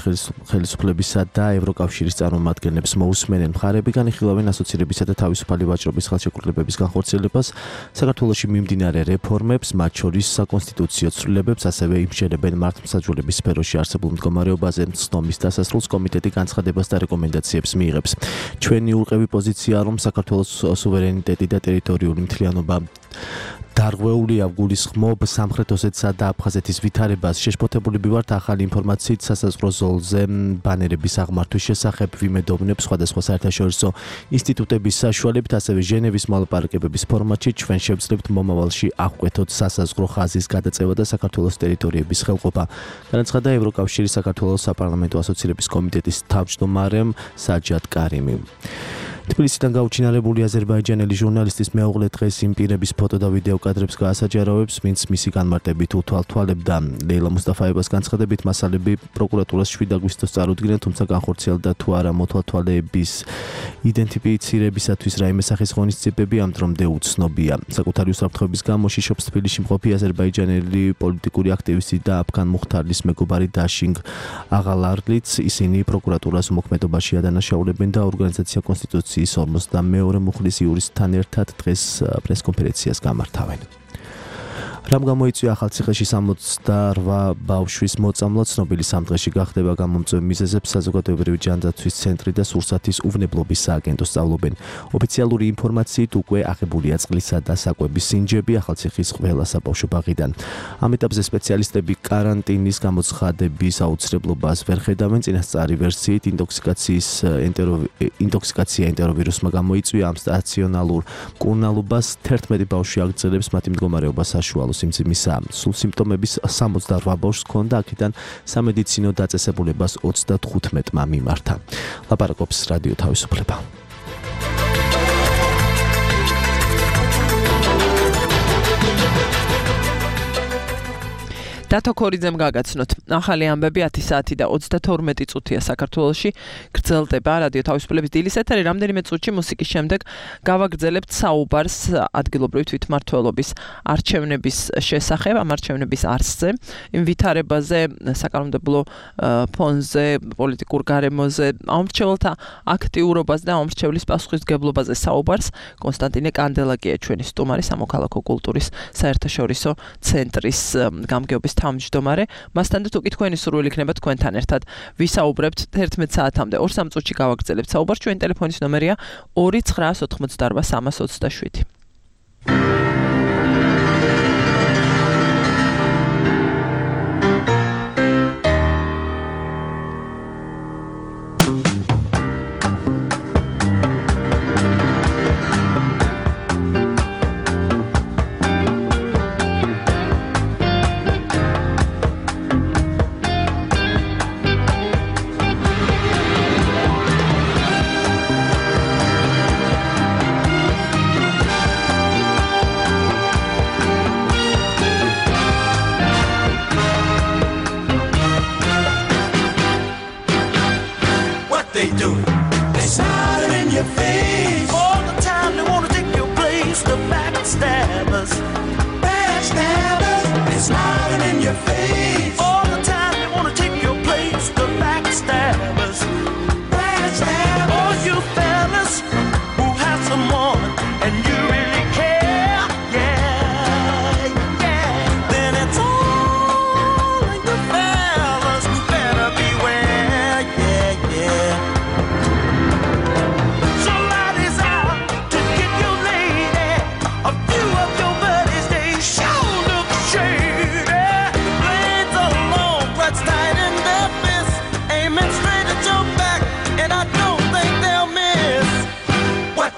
ხელისუფლებისა და ევროკავშირის წარმომადგენლებს მოусმენენ. მხარეები განიხილავენ ასოცირებისა და თავისუფალი ვაჭრობის ხელშეკრულებების განხორციელებას, საქართველოში მიმდინარე რეფორმებს, მათ შორის საკონსტიტუციო ცვლილებებს, ასევე იმშენებენ მართლმსაჯულების სფეროში არსებულ მდგომარეობაზე. ხდომის დასასრულს კომიტეტი განცხადებას და რეკომენდაციებს მიიღებს. ჩვენი ურყევი პოზიციაა, რომ საქართველოს სუვერენიტეტი და ტერიტორიული მთლიანობა დარღვეულია გულისხმობ სამხრეთ ოსეთსა და აფხაზეთის ვითარებას. შეშფოთებულები ვართ ახალი ინფორმაციით სასაზღვრო ზოლზე ბანერების აღმართვის შესახებ. ვიმედოვნებ სხვადასხვა საერთაშორისო ინსტიტუტების საშუალებით, ასევე ჟენევის მოლაპარაკებების ფორმატში ჩვენ შევძლებთ მომავალში აღკვეთოთ სასაზღვრო ხაზის გადაწევა და საქართველოს ტერიტორიების ხელყოფა. განაცხადა ევროკავშირის საქართველოს საპარლამენტო ასოცირების კომიტეტის თავმჯდომარემ საჯად კარიმი. თბილისიდან გაუჩინარებული აზერბაიჯანელი ჟურნალისტის მეუღლე დღეს იმ პირების ფოტო და ვიდეო კადრებს გაასაჯაროვებს, ვინც მისი განმარტებით უთვალთვალებდა. ლეილა მუსტაფაევას განცხადებით, მასალები პროკურატურას 7 აგვისტოს წარუდგნენ, თუმცა განხორციელდა თუ არა მოთვალთვალების იდენტიფიცირებისათვის რაიმე სახის ღონისძიებები ამ დრომდე უცნობია. საკუთარი უსაფრთხოების გამო შიშობს თბილისში მყოფი აზერბაიჯანელი პოლიტიკური აქტივისტი და აფგან მუხთარლის მეგობარი დაშინგ აღალარლიც. ისინი პროკურატურას უმოქმედობაში ადანაშაულებენ და ორგანიზაცია კონსტიტუციის 52 მუხლის იურისტთან ერთად დღეს პრესკონფერენციას გამართავენ. რამ გამოიწვია ახალციხეში 68 ბავშვის მოწამლა, ცნობილი სამდღეში გახდება გამომწვევი მიზეზებს საზოგადოებრივი ჯანდაცვის ცენტრი და სურსათის უვნებლობის სააგენტო სწავლობენ. ოფიციალური ინფორმაციით უკვე აღებულია წყლისა და საკვების სინჯები ახალციხის ყველა საბავშვო ბაღიდან. ამ ეტაპზე სპეციალისტები კარანტინის გამოცხადების აუცილებლობას ვერ ხედავენ. წინასწარი ვერსიით ინტოქსიკაცია ენტეროვირუსმა გამოიწვია. ამ სტაციონალურ მკურნალობას 11 ბავშვი აგრძელებს, მათი მდგომარეობა საშუალო სიმძიმისა. სულ სიმპტომების 68 ბავშვს ჰქონდა, აქედან სამედიცინო დაწესებულებას 35-მა მიმართა. ლაპარაკობს რადიო თავისუფლება. დათო ქორიძემ გაგაცნოთ. ახალი ამბები 10 საათი და 32 წუთია საქართველოში გრძელდება რადიო თავისუფლების დილის ეთერი. რამდენიმე წუთში მუსიკის შემდეგ გავაგრძელებთ საუბარს ადგილობრივი თვითმმართველობის არჩევნების შესახებ, ამ არჩევნების არსზე, იმ ვითარებაზე, საკანონმდებლო ფონზე, პოლიტიკურ გარემოზე, ამომრჩეველთა აქტიურობაზე და ამომრჩევლის პასუხისმგებლობაზე საუბარს. კონსტანტინე კანდელაკია ჩვენი სტუმარი სამოქალაქო კულტურის საერთაშორისო ცენტრის გამგეობის თავმჯდომარე. მასთან და თუ კი თქვენი სურვილი იქნება თქვენთან ერთად ვისაუბრებთ 11 საათამდე 2-3 წუთში გავაგრძელებთ საუბარს. ჩვენი ტელეფონის ნომერია 2988 327.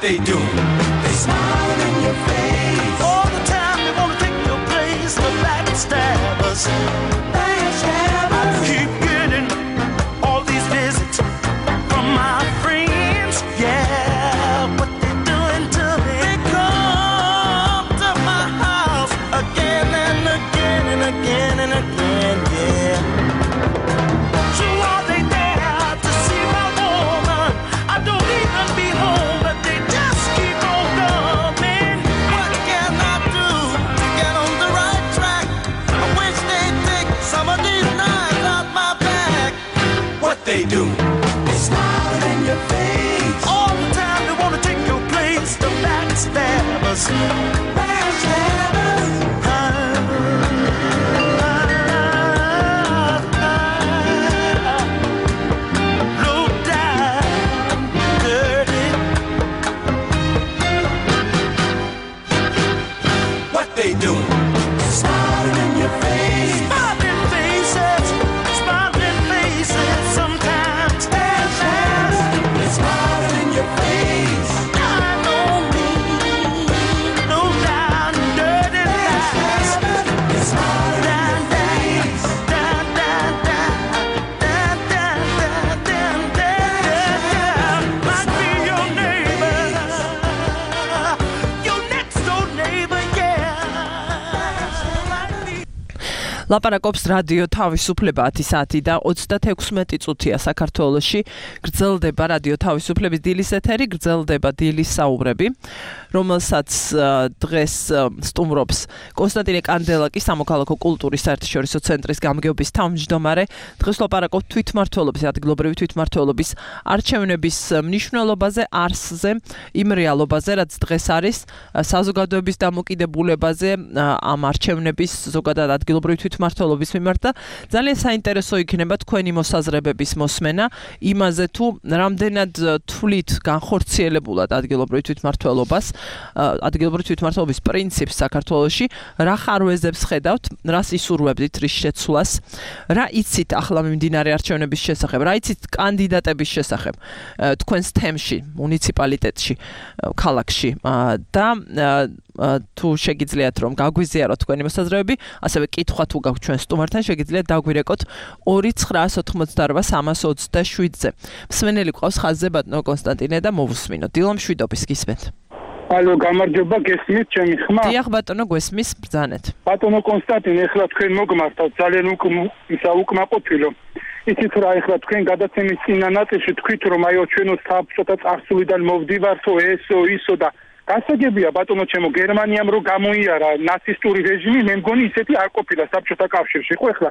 they do? They smile in your face. All the time they wanna take your place. The backstabbers. I keep getting all these visits from my friends. Yeah, what they doing to me? They come to my house again and again and again and again. Yeah. So are they there to see my woman? I don't even be home, but they just keep on coming. What can I do to get on the right track? I wish they'd take some of these knives out my back. What they do? They smile in your face. All the time they wanna take your place. The backstabbers. Low down, dirty. What they do? Smiling in your face. Smiling faces. Smiling faces. Sometimes. They're smiling in your face. I know me. Low down, dirty lies. They're smiling in your face. Down, down, down, down, down, down, down, down, down. Might be your neighbor, your next door neighbor, yeah. Might be. ლაპარაკობს რადიო თავისუფლება 10 საათი და 36 წუთია საქართველოში. გრძელდება რადიო თავისუფლების დილის ეთერი, გრძელდება დილის საუბრები, რომელსაც დღეს სტუმრობს კონსტანტინე კანდელაკი, სამოქალაქო კულტურის საერთაშორისო ცენტრის გამგეობის თავმჯდომარე. დღეს ლაპარაკობთ თვითმმართველობის, ადგილობრივი თვითმმართველობის არჩევნების მნიშვნელობაზე, არსზე, იმ რეალობაზე, რაც დღეს არის, საზოგადოების დამოკიდებულებაზე, ამ არჩევნების ზოგადად ადგილობრივი თვითმმართველობის მიმართ და ძალიან საინტერესო იქნება თქვენი მოსაზრებების მოსმენა იმაზე თუ რამდენად თვლით განხორციელებულად ადგილობრივი თვითმმართველობას, ადგილობრივი თვითმმართველობის პრინციპს საქართველოში, რა ხარვეზებს ხედავთ, რას ისურვებდით რის შეცვლას, რა იცით ახლა მიმდინარე არჩევნების შესახებ, რა იცით კანდიდატების შესახებ თქვენს თემში, მუნიციპალიტეტში, ქალაქში და თუ შეგიძლიათ რომ გაგვიზიაროთ თქვენი მოსაზრებები, ასევე კითხვა თუ გაქვთ ჩვენ სტუმართან, შეგიძლიათ დაგვირეკოთ 298-327-ზე. მსმენელი ყავს ხაზზე ბატონო კონსტანტინე და მოვუსმინოთ. დილო მშვიდობის, გისმენთ. ალო, გამარჯობა, გესმით ჩემი ხმა? დიახ ბატონო, გვესმის, ბრძანეთ. ბატონო კონსტანტინე, ეხლა თქვენ მოგმართავთ ძალიან უკმაყოფილო. იცით რა, ეხლა თქვენ გადაცემის წინა ნაწილში თქვით რომ აიო ჩვენო საბჭოთა წარსულიდან მოვდივართო ესო ისო და გასაგებია ბატონო ჩემო გერმანიამ რო გამოიარა ნაცისტური რეჟიმი, მე მგონი ისეთი არ ყოფილა საბჭოთა კავშირში. ხო ეხლა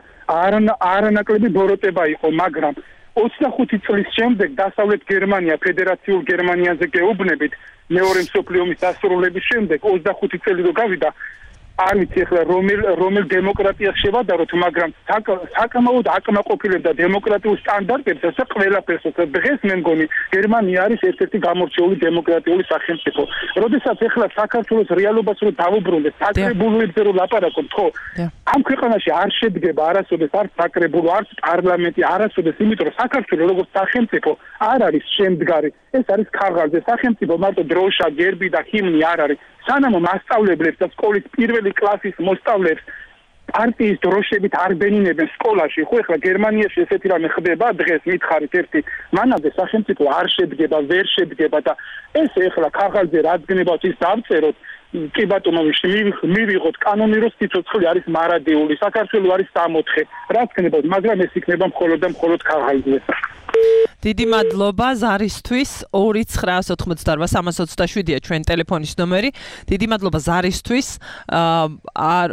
არანაკლები ბოროტება იყო, მაგრამ 25 წლის შემდეგ დასავლეთ გერმანია ფედერაციულ გერმანიაზე გეუბნებით მეორე მსოფლიო ომის დასრულების შემდეგ 25 წელი რო გავიდა არ ვიცი ახლა რომელ დემოკრატიას შევადაროთ, მაგრამ საკმაოდ აკმაყოფილებდა დემოკრატიულ სტანდარტებს, ასე ყველაფერს. დღეს მე მგონი გერმანია არის ერთ-ერთი გამორჩეული დემოკრატიული სახელმწიფო. როდესაც ახლა საქართველოს რეალობას რო დავუბრუნდეთ, საკრებულოებზე რო ლაპარაკობთ, ხო? ამ ქვეყანაში არ შედგება არასოდეს არც საკრებულო, არც პარლამენტი, არასოდეს, იმიტომ რომ საქართველოს როგორც სახელმწიფო არ არის შემდგარი. ეს არის ქაღალდზე. სახელმწიფო მარტო დროშა, გერბი და ჰიმნი არ არის. სანამ მასწავლებლებს და სკოლის პირველი კლასის მოსწავლეებს პარტიის დროშებით არ ბენინებენ სკოლაში, ხო ეხლა გერმანიაში ესეთი რამე ხდება დღეს, მითხარით ერთი, მანამდე სახელმწიფო არ შედგება, ვერ შედგება და ეს ეხლა ქაღალდზე რაც გნებავთ ის დავწეროთ, კი ბატონო, მივიღოთ კანონირო სიცოცხლე არის მარადიული, საქართველო არის 64, რაც გნებავთ, მაგრამ ეს იქნება მხოლოდ და მხოლოდ ქაღალდზე. დიდი მადლობა ზარისთვის 2988327-ია ჩვენ ტელეფონის ნომერი. დიდი მადლობა ზარისთვის.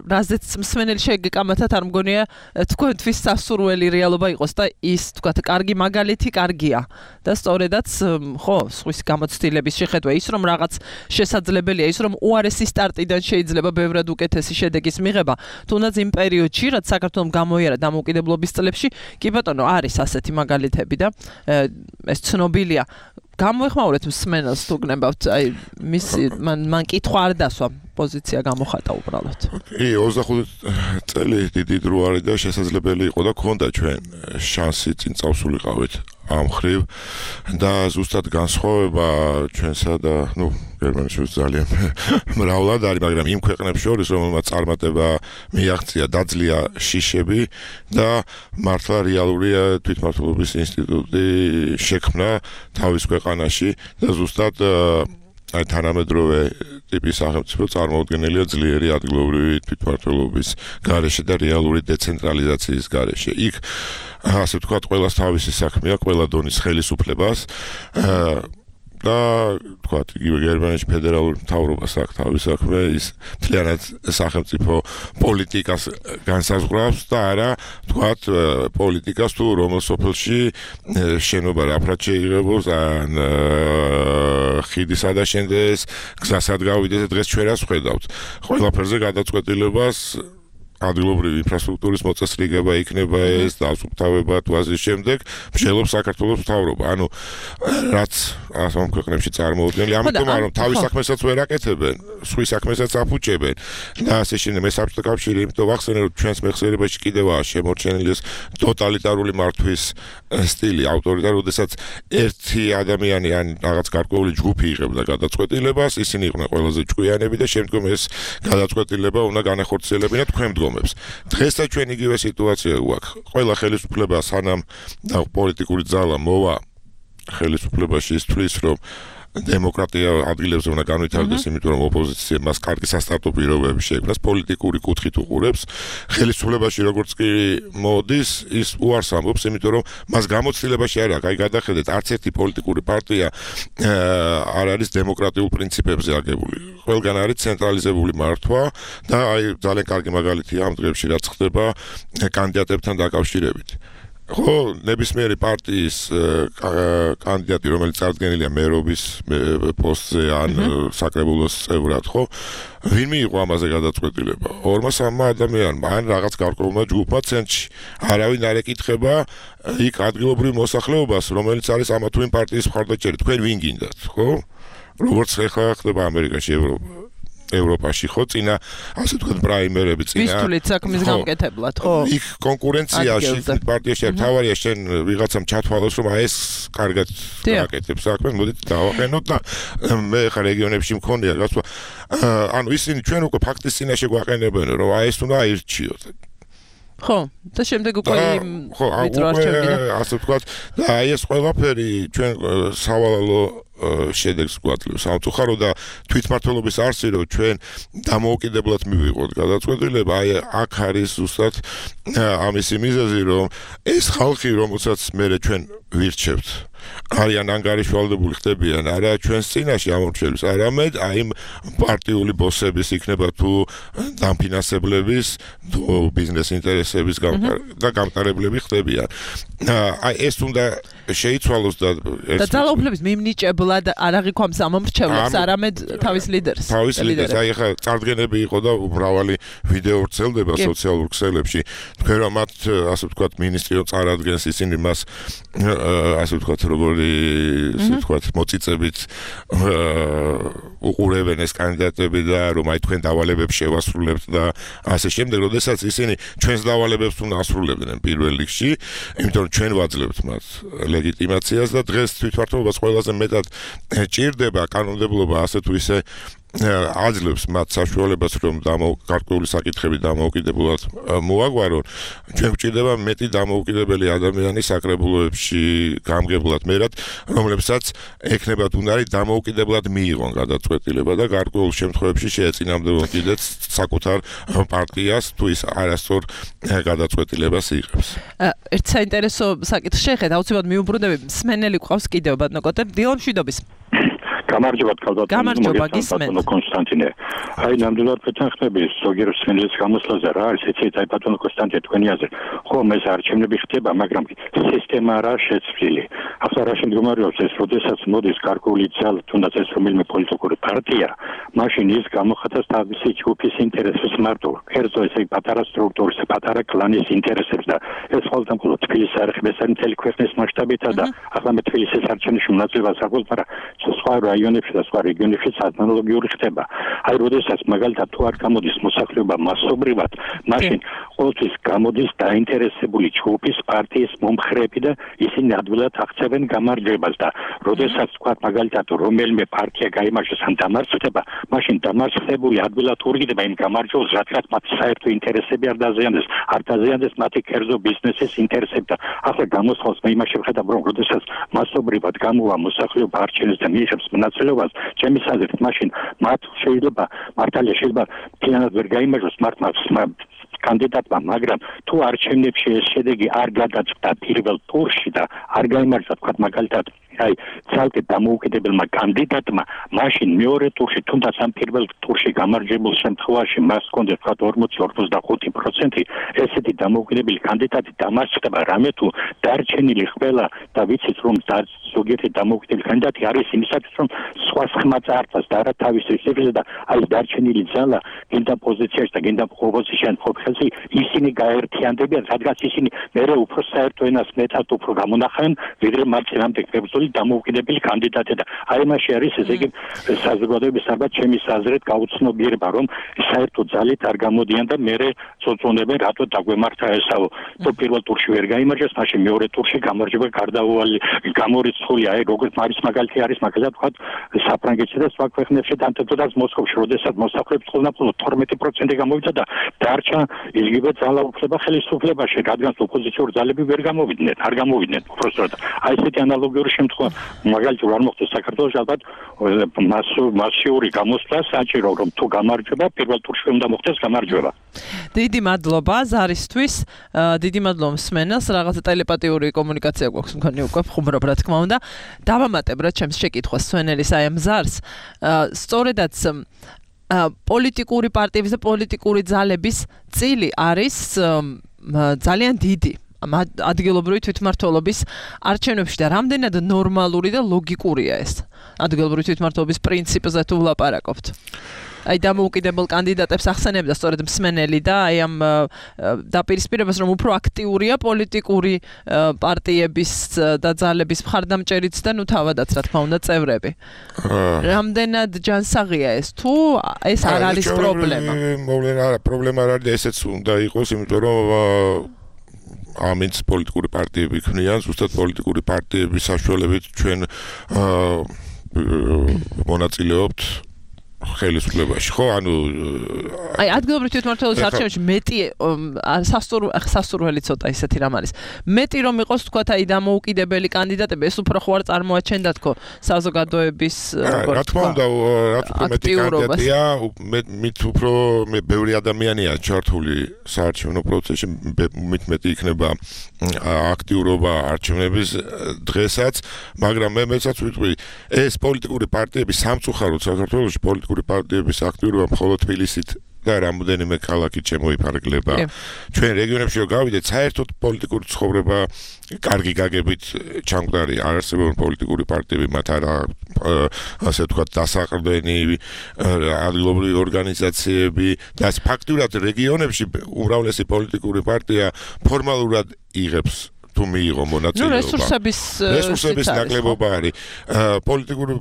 რაზეც მსმენელი შეგეკამათათ, არ მგონია თქვენთვის სასურველი რეალობა იყოს და ის თქვათ კარგი მაგალითი კარგია და სწორედაც ხო სხვის გამოცდილების შეხედვა ის რომ რაღაც შესაძლებელია, ის რომ უარესი სტარტიდან შეიძლება ბევრად უკეთესი შედეგის მიღება, თუნდაც იმ პერიოდში, რაც საქართველოს გამოიარა დამოუკიდებლობის წლებში, კი ბატონო არის ასეთი მაგალითები და ეს ცნობილია. გამოეხმაურეთ მსმენელს თუ გნებავთ, აი მან კითხვა არ დასვა, პოზიცია გამოხატა უბრალოდ. კი, 25 წელი დიდი დრო არის და შესაძლებელი იყო და ქონდა ჩვენ შანსი წინ წავსულიყავით ამ მხრივ და ზუსტად განსხვავება ჩვენსა და გერმანიაში ძალიან მრავლად არის, მაგრამ იმ ქვეყნებს შორის, რომელმაც წარმატება მიაღწია, დაძლია შიშები და მართლა რეალურია თვითმმართველობის ინსტიტუტი შექმნა თავის ქვეყანაში და ზუსტად აი თანამედროვე ტიპის სახელმწიფო წარმოუდგენელია ძლიერი ადგილობრივი თვითმმართველობის გარეშე და რეალური დეცენტრალიზაციის გარეშე. იქ ასე ვთქვათ, ყველას თავისი საქმე აქვს, ყველა დონის ხელისუფლებას და ვთქვათ, იგივე გერმანიაში ფედერალური მთავრობას აქვს თავის საქმე, ის მთლიანად სახელმწიფო პოლიტიკას განსაზღვრავს და არა, ვთქვათ, პოლიტიკას თუ რომელ სოფელში შენობა რაფრად შეიღებოს, ან ხიდი სადა შენდეს, გზა სად გავიდეს, დღეს ჩვენ რას ვხედავთ. ყველაფერზე გადაწყვეტილებას ადგილობრივი ინფრასტრუქტურის მოწესრიგება იქნება ეს დასუფთავება თუ ასის შემდეგ მსჯელობს საქართველოს მთავრობა. ანუ რაც ამ ქვეყნებში წარმოუდგენელი, ამიტომ რომ თავის საქმესაც ვერ აკეთებენ, სხვის საქმესაც აფუჭებენ და ასე შემდეგ. მე საბჭოთა კავშირი იმიტომ ვახსენე, რომ ჩვენს მეხსიერებაში კიდევაა შემორჩენილი ეს ტოტალიტარული მართვის სტილი, ავტორიტარი, როდესაც ერთი ადამიანი ან რაღაც გარკვეული ჯგუფი იღებდა გადაწყვეტილებას, ისინი იყვნენ ყველაზე ჭკვიანები და შემდგომ ეს გადაწყვეტილება უნდა განახორციელებინა თქვენ დღესაც ჩვენ იგივე სიტუაცია გვაქვს. ყველა ხელისუფლება სანამ და პოლიტიკური ძალა მოვა ხელისუფლებაში ის თვლის, რომ დემოკრატია ადგილებზე უნდა განვითარდეს, იმიტომ რომ ოპოზიციამ მას კარგი სასტარტო პირობები შექმნას, პოლიტიკური კუთხით უყურებს. ხელისუფლებაში როგორც კი მოდის, ის უარს ამბობს, იმიტომ რომ მას გამოცდილებაში არ აქვს. აი გადახედეთ, არც ერთი პოლიტიკური პარტია არ არის დემოკრატიულ პრინციპებზე აგებული. ყველგან არის ცენტრალიზებული მართვა და აი ძალიან კარგი მაგალითია ამ დღეებში რაც ხდება კანდიდატებთან დაკავშირებით. ხო, ნებისმიერი პარტიის კანდიდატი, რომელიც წარდგენილია მერობის პოსტზე ან საკრებულოს წევრად, ხო, ვინ მიიღო ამაზე გადაწყვეტილება? 2-3 ადამიანმა ან რაღაც გარკვეულმა ჯგუფმა ცენტრში. არავინ არ ეკითხება იქ ადგილობრივ მოსახლეობას, რომელიც არის ამა თუ იმ პარტიის მხარდაჭერი. თქვენ ვინ გინდათ, ხო? როგორც ხება ამერიკაში, ევროპაში, ხო, წინა ასე ვთქვათ პრაიმერები წინა. ვისთვლით საქმის გამკეთებლად, ხო? იქ კონკურენციაში პარტიაში თავარია შენ ვიღაცამ ჩათვალოს, რომ აი ეს კარგად აკეთებს საქმეს, მოდით დავაყენოთ და მე ხა რეგიონებში მქონია გასვა. ანუ ისინი ჩვენ უკვე ფაქტის წინაშე გვაყენებენ, რომ აი ეს უნდა აირჩიოთ. ხო, და შემდეგ უკვე ვიწრო არჩევანი. ასე ვთქვათ, და აი ეს ყველაფერი ჩვენ სავალალო შედეგს გვაძლევს. სამწუხარო და თვითმმართველობის არსი, რომ ჩვენ დამოუკიდებლად მივიღოთ გადაწყვეტილება, აი აქ არის ზუსტად ამისი მიზეზი, რომ ეს ხალხი, რომელსაც მერე ჩვენ ვირჩევთ, არიან ანგარიშვალდებული ხდებიან არა ჩვენს წინაშე ამორჩევის, არამედ აი პარტიული ბოსების იქნება თუ დამფინანსებლების, თუ ბიზნეს ინტერესების და გამტარებლები ხდებიან. აი ეს უნდა შეიცვალოს და ძალაუფლების მიმნიჭებლად არ აღიქვამს ამომრჩევლებს, არამედ თავის ლიდერს. თავის ლიდერს. აი ხა წარდგენები იყო და მრავალი ვიდეო ვრცელდება სოციალურ ქსელებში. თქვენ რომ მათ ასე ვთქვათ მინისტრი წარადგენს, ისინი მას ასე ვთქვათ როგორი ასე ვთქვათ მოწიწებით უყურებენ ეს კანდიდატები და რომ აი თქვენ დავალებებს შევასრულებთ და ასე შემდეგ, როდესაც ისინი ჩვენს დავალებებს უნდა ასრულებდნენ პირველ რიგში, იმიტომ რომ ჩვენ ვაძლევთ მათ ლეგიტიმაციას და დღეს თვითმმართველობას ყველაზე მეტად ჭირდება კანონმდებლობა ასე თუ ისე აძლევს მათ საშუალებას, რომ გარკვეული საკითხები დამოუკიდებლად მოაგვარონ. ჩვენ გვჭირდება მეტი დამოუკიდებელი ადამიანი საკრებულოებში გამგებლად მერად, რომლებსაც ექნებათ უნარი დამოუკიდებლად მიიღონ გადაწყვეტილება და გარკვეულ შემთხვევებში შეეწინამდებონ კიდეც საკუთარ პარტიას თუ ის არასწორ გადაწყვეტილებას იღებს. ერთ საინტერესო საკითხს შეხედა, აუცილებლად მიუბრუნდები, მსმენელი გვყავს კიდევ ბატონო კოტე, დილა მშვიდობის. გამარჯობა გამარჯობა გისმენთ კონსტანტინე. აი ნამდვილად ვეთანხმები ზოგიერთ სმენელის გამოსვლაზე რა არის ეცეთ აი ბატონო კონსტანტინე თქვენი აზრი. ხო, ეს არჩევნები ხდება, მაგრამ სისტემა რა შეცვლილი. ახლა რა შემდგომარეობს ეს, როდესაც მოდის გარკვეული ძალა, თუნდაც ეს რომელიმე პოლიტიკური პარტია, მაშინ ის გამოხატავს თავისი ჯგუფის ინტერესებს მარტო. კერძო ესე პატარა სტრუქტურის, პატარა კლანის ინტერესებს და ეს ყველგან მხოლოდ თბილისის არ ხდება, ეს მთელი ქვეყნის მასშტაბითა და ახლა მე თბილისის არჩევნებში მონაწილეობას აღვწ, მაგრამ სხვა რაიონებში და სხვა რეგიონებში ანალოგიური ხდება. აი, როდესაც მაგალითად თუ არ გამოდის მოსახლეობა მასობრივად, მაშინ ყოველთვის გამოდის დაინტერესებული ჯგუფის პარტიის მომხრეები და ისინი ადვილად აღწევენ გამარჯვებას და როდესაც თქვა მაგალითად რომელიმე პარტია გაიმარჯვებს ან დამარცხდება, მაშინ დამარცხებული ადვილად ურგდება იმ გამარჯვებას, რადგან მათ საერთო ინტერესები არ დაზიანდეს მათი კერძო ბიზნესის ინტერესები და ახლა გამოსხავს მე იმაში ვხედავ რომ როდესაც მასობრივად გამოვა მოსახლეობა არჩევნებს და მიიღებს მონაწილეობას, ჩემი აზრით მაშინ მათ შეიძლება მართალია შეიძლება მთლიანად ვერ გაიმარჯვოს კანდიდატმა, მაგრამ თუ არჩევნებში ეს შედეგი არ გადაწყდა პირველ ტურში და არ გაიმარჯვა თქვა მაგალითად აი ცალკე დამოუკიდებელმა კანდიდატმა, მაშინ მეორე ტურში თუნდაც ამ პირველ ტურში გამარჯვებულ შემთხვევაში მას ჰქონდა თქვა 40-45%, ესეთი დამოუკიდებელი კანდიდატი დამარცხდება, რამე თუ დარჩენილი ყველა და ვიცით რომ ზოგიერთი დამოუკიდებელი კანდიდატი არის იმისათვის რომ სხვა ხმა წაართვას და არა თავის რისკებზე და აი დარჩენილი ძალა გინდა პოზიციაში და გინდა ოპოზიციაში ყოფხელში ისინი გაერთიანდებიან, რადგან ისინი მერე უფრო საერთო ენას მეტად უფრო გამონახავენ ვიდრე მათ წინამდე კრებულში დამოუკიდებელი კანდიდატი და აი მასში არის ესე იგი საზოგადოების ალბათ ჩემის აზრით გაუცნობიერება რომ საერთო ძალით არ გამოდიან და მერე წოწუნებენ რატო დაგვემართა ესაო თუ პირველ ტურში ვერ გაიმარჯვეს მაშინ მეორე ტურში გამარჯვება გარდაუვალი გამორიცხულია აი როგორც მარის მაგალითი არის მაგალითად ვთქვათ საფრანგეთში და სხვა ქვეყნებში დამტკიცებას მოსკოვში როდესაც მოსახლეობის ყველაფერი 12% გამოვიდა და დარჩა იგივე ძალაუფლება ხელისუფლებაში რადგან ოპოზიციური ძალები ვერ არ გამოვიდნენ უბრალოდ აი ესეთი ანალოგიური შემთხვევა მაგალითად არ მოხდეს საქართველოს ალბათ მასიური გამოსვლა საჭირო რომ თუ გამარჯვება პირველ ტურში უნდა მოხდეს გამარჯვება დიდი მადლობა ზარისთვის დიდი მადლობა მსმენელს რაღაცა ტელეპათიური კომუნიკაცია გვაქვს მქონი უკვე ხუმრობ რა თქმა უნდა დავამატებ რა ჩემს შეკითხვას მსმენელის აი ამ ზარს სწორედაც პოლიტიკური პარტიების და პოლიტიკური ძალების წილი არის ძალიან დიდი ადგილობრივი თვითმმართველობის არჩევნებში და რამდენად ნორმალური და ლოგიკურია ეს ადგილობრივი თვითმმართველობის პრინციპზე თუ ვლაპარაკობთ აი დამოუკიდებელ კანდიდატებს ახსენებდა სწორედ მსმენელი და აი ამ დაპირისპირებას რომ უფრო აქტიურია პოლიტიკური პარტიების და ძალების მხარდამჭერიც და ნუ თავადაც რა თქმა უნდა წევრები რამდენად ჯანსაღია ეს თუ ეს არ არის პრობლემა პრობლემა არ არის ესეც უნდა იყოს იმიტომ რომ ამით პოლიტიკური პარტიები ქმნიან ზუსტად პოლიტიკური პარტიების საშუალებით ჩვენ მონაწილეობთ ხელისუფლებაში ხო ანუ აი ადგილობრივი თვითმმართველობის არჩევნებში მეტი სასურველი ცოტა ისეთი რამ არის მეტი რომ იყოს თქვა აი დამოუკიდებელი კანდიდატები ეს უფრო ხო არ წარმოაჩენდა თქო საზოგადოების რა თქმა უნდა მეტი კანდიდატია მით უფრო ბევრი ადამიანია ჩართული საარჩევნო პროცესში მეტი იქნება აქტიურობა არჩევნების დღესაც მაგრამ მე მეცაც ვიტყვი ეს პოლიტიკური პარტიები სამწუხაროდ საქართველოში პოლიტიკური პარტიების აქტიურობა მხოლოდ თბილისით და რამოდენიმე ქალაქით შემოიფარგლება. ჩვენ რეგიონებში რომ გავიდეთ, საერთოდ პოლიტიკური ცხოვრება კარგი გაგებით ჩამკვდარი არ არსებობენ პოლიტიკური პარტიები, მათ არა ასე ვთქვათ დასაყრდენი ადგილობრივი ორგანიზაციები და ფაქტურად რეგიონებში უმრავლესი პოლიტიკური პარტია ფორმალურად იღებს თუ მიიღო მონაწილეობა. რესურსების ნაკლებობა არის. პოლიტიკური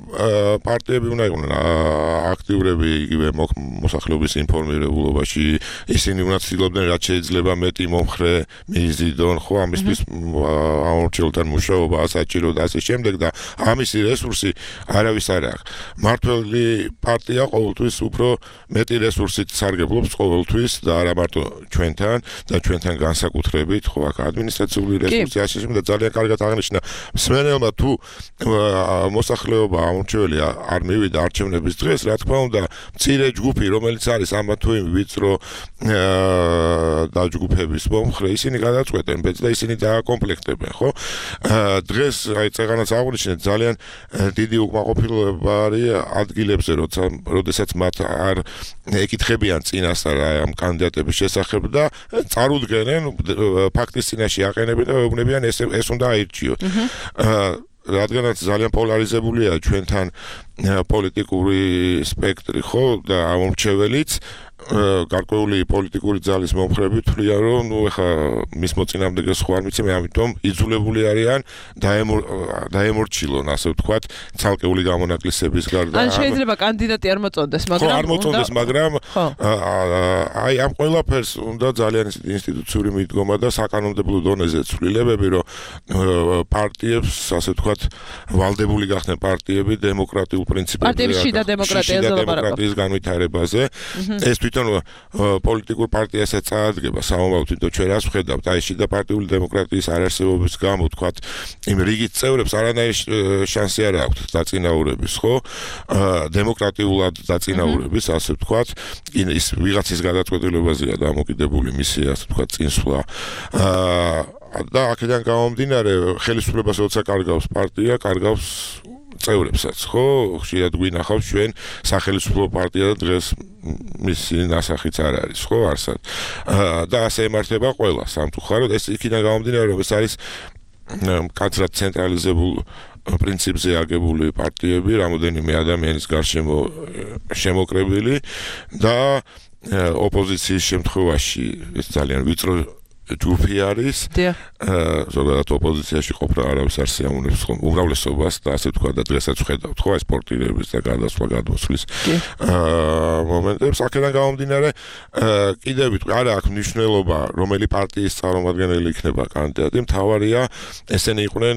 პარტიები უნდა იყვნენ აქტიურები იგივე მოსახლეობის ინფორმირებულობაში. ისინი უნდა ცდილობდნენ რაც შეიძლება მეტი მომხრე მიიზიდონ, ხო, ამისთვის ამორჩეულთან მუშაობა ასაჭირო და ასე შემდეგ და ამისი რესურსი არავის არ აქვს. მართველი პარტია ყოველთვის უფრო მეტი რესურსით სარგებლობს ყოველთვის და არა მარტო ჩვენთან და ჩვენთან განსაკუთრებით, ხო, აქ ადმინისტრაციული რესურსი და ძალიან კარგად აღნიშნა მსმენელმა თუ მოსახლეობა ამორჩეველი არ მივიდა არჩევნების დღეს რა თქმა უნდა მცირე ჯგუფი რომელიც არის ამა თუ იმ ვიწრო დაჯგუფების მომხრე ისინი გადაწყვეტენ ბედს და ისინი დააკომპლექტებენ ხო დღეს აი წეღანაც აღნიშნეთ ძალიან დიდი უკმაყოფილება არის ადგილებზე როდესაც მათ არ ეკითხებიან წინასწარ ამ კანდიდატების შესახებ და წარუდგენენ ფაქტის წინაშე აყენებენ და ეუბნებიან ეს უნდა აირჩიოთ. რადგანაც ძალიან პოლარიზებულია ჩვენთან პოლიტიკური სპექტრი ხო და ამორჩეველიც გარკვეული პოლიტიკური ძალის მომხრები თვლიან, რომ ნუ ეხა მის მოწინააღმდეგეს ხო არ ვიცი, მე ამიტომ იძულებული არიან დაემორჩილონ, ასე ვთქვათ, ცალკეული გამონაკლისების გარდა. ან შეიძლება კანდიდატი არ მოწონდეს, მაგრამ არ მოწონდეს, მაგრამ აი ამ ყველაფერს უნდა ძალიან ინსტიტუციური მიდგომა და საკანონმდებლო დონეზე ცვლილებები, რომ პარტიებს, ასე ვთქვათ, ვალდებული გახდნენ პარტიები დემოკრატიულ პრინციპებზე. პარტიების შიდა დემოკრატიაზე დემოკრატიის განვითარებაზე. ეს თვითონ პოლიტიკურ პარტიასაც წაადგება სამომავლოდ, თვითონ ჩვენ რას ვხედავთ, აი შიდა პარტიული დემოკრატიის არარსებობის გამო, ვთქვათ, იმ რიგით წევრებს არანაირი შანსი არ აქვთ დაწინაურების, ხო? დემოკრატიულად დაწინაურების, ასე ვთქვათ, ის ვიღაცის გადაწყვეტილებაზეა დამოკიდებული მისი, ასე ვთქვათ, წინსვლა. და აქედან გამომდინარე, ხელისუფლებას როცა კარგავს პარტია, კარგავს წევრებსაც, ხო? ხშირად გვინახავს ჩვენ სახელმწიფო პარტია და დღეს მისი ნასახიც არ არის, ხო, არსად. და ასე ემართება ყველა სამწუხაროდ, ეს იქიდან გამომდინარე, რომ ეს არის კაცრად ცენტრალიზებულ პრინციპზე აგებული პარტიები, რამოდენიმე ადამიანის გარშემო შემოკრებილი და ოპოზიციის შემთხვევაში ეს ძალიან ვიწრო ჯგუფი არის. ზოგადად ოპოზიციაში ყოფნა არავის არ სიამოვნებს ხომ უმრავლესობას და ასე თქვა და დღესაც ვხედავთ ხო ეს სპორტირების და გადასვლა გადმოსვლის მომენტებს. აქედან გამომდინარე კიდევ ვიტყვი არა აქვს მნიშვნელობა რომელი პარტიის წარმომადგენელი იქნება კანდიდატი, მთავარია ესენი იყვნენ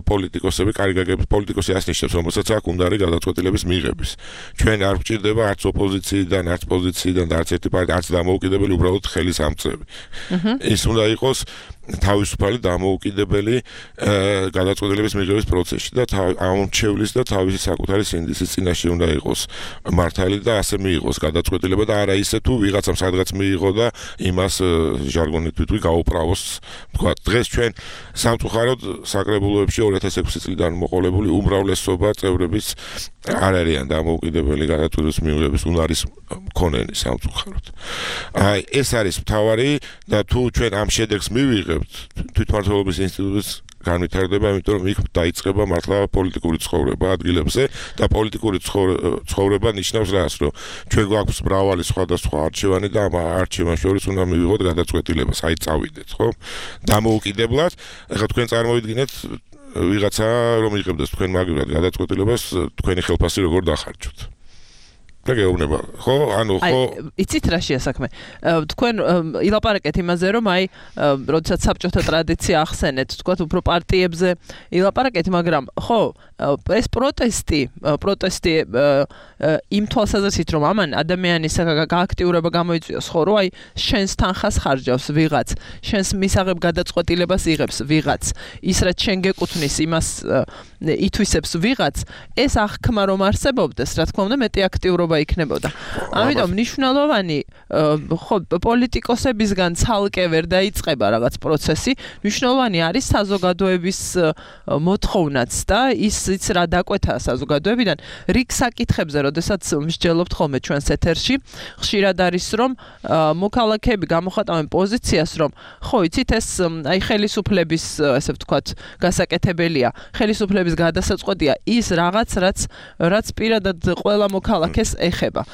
პოლიტიკოსები, კარგაგების პოლიტიკოსი ასნიშნავს რომელსაც აქვს უნდარი გადაწყვეტილების მიღების. ჩვენ არ გვჭირდება არც ოპოზიციიდან, არც პოზიციიდან და არც ერთი პარტია, არც დამოუკიდებელი, უბრალოდ ხელის ამწევი. ის უნდა იყოს თავისუფალი დამოუკიდებელი გადაწყვეტილების მიღების პროცესში და ამორჩევლის და თავისი საკუთარი სინდისის წინაშე უნდა იყოს მართალი და ასე მიიღოს გადაწყვეტილება და არა ისე თუ ვიღაცამ სადღაც მიიღო და იმას ჟარგონით ვიტყვი გაუправოს. თქვა დღეს ჩვენ სამწუხაროდ საკრებულოებში 2006 წლიდან მოყოლებული უმრავლესობა წევრების არ არიან დამოუკიდებელი გადაწყვეტილების მიღების უნარის მქონენი სამწუხაროდ. აი ეს არის მთავარი და თუ ჩვენ ამ შედეგს მივიღებთ თვითმმართველობის ინსტიტუტის განვითარდება, იმიტომ რომ იქ დაიწყება მართლა პოლიტიკური ცხოვრება ადგილებზე და პოლიტიკური ცხოვრება ნიშნავს რას, რომ ჩვენ გვაქვს მრავალი სხვადასხვა არჩევანი და ამ არჩევანს შორის უნდა მივიღოთ გადაწყვეტილება, აი წავიდეთ, ხო? დამოუკიდებლად, ეხლა თქვენ წარმოვიდგინეთ ვიღაცა რომ იღებდეს თქვენ მაგივრად გადაწყვეტილებას, თქვენი ხელფასი როგორ დახარჯოთ. და გეუბნება, ხო? ანუ ხო იცით რა შეასაქმე. თქვენ ილაპარაკეთ იმაზე, რომ აი, როდესაც საბჭოთა ტრადიცია ახსენეთ, თქვათ უფრო პარტიებზე ილაპარაკეთ, მაგრამ ხო, ეს პროტესტი იმ თვალსაზრისით, რომ ამან ადამიანის გააქტიურება გამოიწვიოს, ხო, რომ აი, შენს თანხას ხარჯავს ვიღაც, შენს მისაღებ გადაწყვეტილებას იღებს ვიღაც, ის რაც შენ გეკუთვნის, იმას ითვისებს ვიღაც, ეს აღქმა რომ არსებობდეს, რა თქმა უნდა, მეტი აქტიურობა იქნებოდა. ამიტომ მნიშვნელოვანი ხო პოლიტიკოსებისგან ცალკე ვერ დაიწყება რაღაც პროცესი, მნიშვნელოვანი არის საზოგადოების მოთხოვნაც და ისიც რა დაკვეთა საზოგადოებიდან რიგ საკითხებზე, როდესაც მსჯელობთ ხოლმე ჩვენს ეთერში, ხშირად არის რომ მოქალაქეები გამოხატავენ პოზიციას, რომ ხო იცით ეს აი ხელისუფლების ესე ვთქვათ გასაკეთებელია, ხელისუფლების გადასაწყვეტია ის რაღაც რაც პირადად ყველა მოქალაქეს ეხება.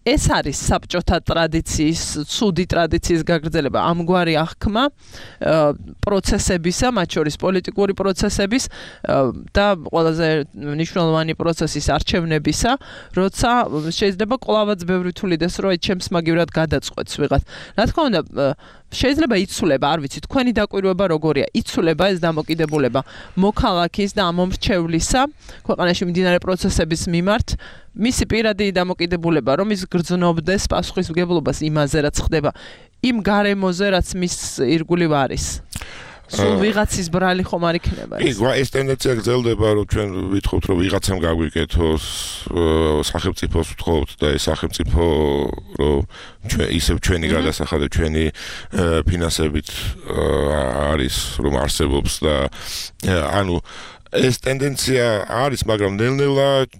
ეს არის საბჭოთა ტრადიციის, ცუდი ტრადიციის გაგრძელება, ამგვარი აღქმა პროცესებისა, მათ შორის პოლიტიკური პროცესების და ყველაზე მნიშვნელოვანი პროცესის არჩევნებისა, როცა შეიძლება კვლავაც ბევრი თulides, რომ ჩემს მაგივრად გადაწყვეტს ვიღაც. რა თქმა უნდა, შეიძლება იცვლება, არ ვიცი, თქვენი დაკვირვება როგორია, იცვლება ეს დამოკიდებულება მოქალაქის და ამომრჩევლისა ქვეყანაში მიმდინარე პროცესების მიმართ, მისი პირადი დამოკიდებულება, რომ ის გრძნობდეს პასუხისმგებლობას იმაზე, რაც ხდება, იმ გარემოზე, რაც მის ირგვლივ არის. სულ ვიღაცის ბრალი ხომ არ იქნება ეს. ეს ტენდენცია გრძელდება, რომ ჩვენ ვითხოვთ, რომ ვიღაცამ გაგვიკეთოს, სახელმწიფოს ვთხოვთ და ეს სახელმწიფო რომ ისევ ჩვენი გადასახადeb, ჩვენი ფინანსებით არის, რომ არსებობს და ანუ ეს ტენდენცია არის, მაგრამ ნელ-ნელა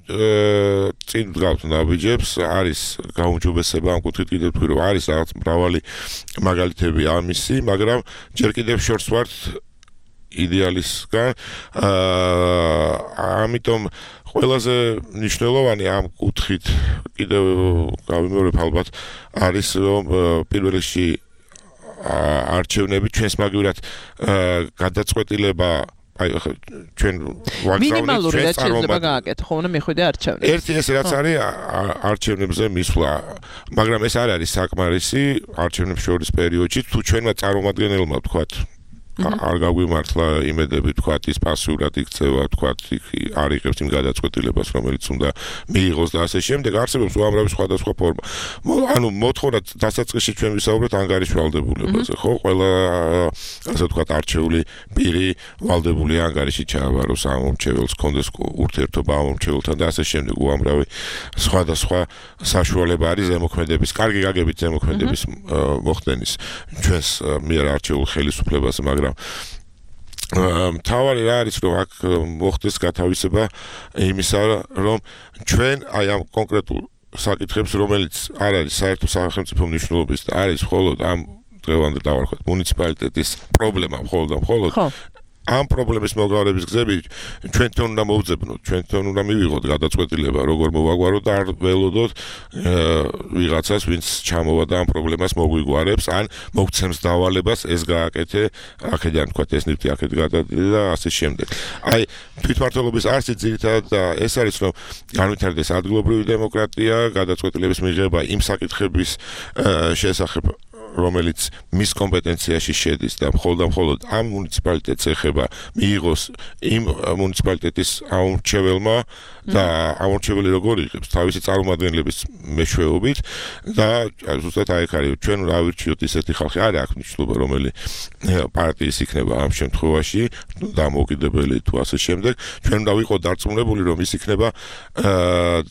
წინ დგავთ ნაბიჯებს, არის გაუმჯობესება ამ კუთხით კიდევ თქვი, რომ არის რაღაც მრავალი მაგალითები ამისი, მაგრამ ჯერ კიდევ შორს ვართ იდეალისგან ამიტომ ყველაზე მნიშვნელოვანი ამ კუთხით კიდევ გავიმეორებ ალბათ არის რომ პირველ რიგში არჩევნები ჩვენს მაგივრად გადაწყვეტილება აი ჩვენ მინიმალური რაც შეიძლება გააკეთო ხო უნდა მიხვიდე არჩევნებს ერთი ეს რაც არის არჩევნებზე მისვლა მაგრამ ეს არ არის საკმარისი არჩევნებს შორის პერიოდში თუ ჩვენმა წარმომადგენელმა ვთქვათ არ გაგვიმართლა იმედები თქვათ ის პასიურად იქცევა თქვათ არ იღებს იმ გადაწყვეტილებას რომელიც უნდა მიიღოს და ასე შემდეგ არსებობს უამრავი სხვადასხვა ფორმა ანუ მოთხოვნა დასაწყისში ჩვენ ვისაუბრეთ ანგარის ვალდებულებაზე ხო ყველა ასე ვთქვათ არჩეული პირი ვალდებული ანგარიში ჩააბაროს ამ მომრჩეველს კონდეს ურთიერთობა ამ მომრჩეველთან და ასე შემდეგ უამრავი სხვადასხვა საშუალება არის ზემოქმედების კარგი გაგებით ზემოქმედების მოხდენის ჩვენს მიერ არჩეულ ხელისუფლებაზე მაგრამ თავარი რა არის რომ აქ მოხდეს გათავისება იმისა რომ ჩვენ აი ამ კონკრეტულ საკითხებს რომელიც არ არის საერთო სახელმწიფო მნიშვნელობის და არის მხოლოდ ამ დღევანდელ დავარქვათ მუნიციპალიტეტის პრობლემა მხოლოდ ამ პრობლემის მოგავების გზები ჩვენთან უნდა მოვძებნოთ, ჩვენთან უნდა მივიღოთ გადაწყვეტილება, როგორ მოვაგვაროთ და არ ველოდოთ ვიღაცას, ვინც ჩამოვა და ამ პრობლემას მოგვიგوارებს, ან მოგცემს დავალებას ეს გააკეთე, აქედან თქვა ეს ნივთი აქეთ გადადიდა და ასე შემდეგ. აი, თვითმმართველობის არსი ძირითადად ეს არის, რომ განვითარდეს ადგილობრივი დემოკრატია, გადაწყვეტილების მიღება იმ საკითხების შესახებ რომელიც მის კომპეტენციაში შედის და მხოლოდ ამ მუნიციპალიტეტს ეხება მიიღოს იმ მუნიციპალიტეტის ამორჩეველმა და ამორჩეველი როგორ იღებს თავისი წარმომადგენლების მეშვეობით და ზუსტად აი აქ არის ჩვენ ავირჩიოთ ისეთი ხალხი არ აქვს მნიშვნელობა რომელი პარტიის იქნება ამ შემთხვევაში დამოუკიდებელი თუ ასე შემდეგ ჩვენ უნდა ვიყოთ დარწმუნებული რომ ის იქნება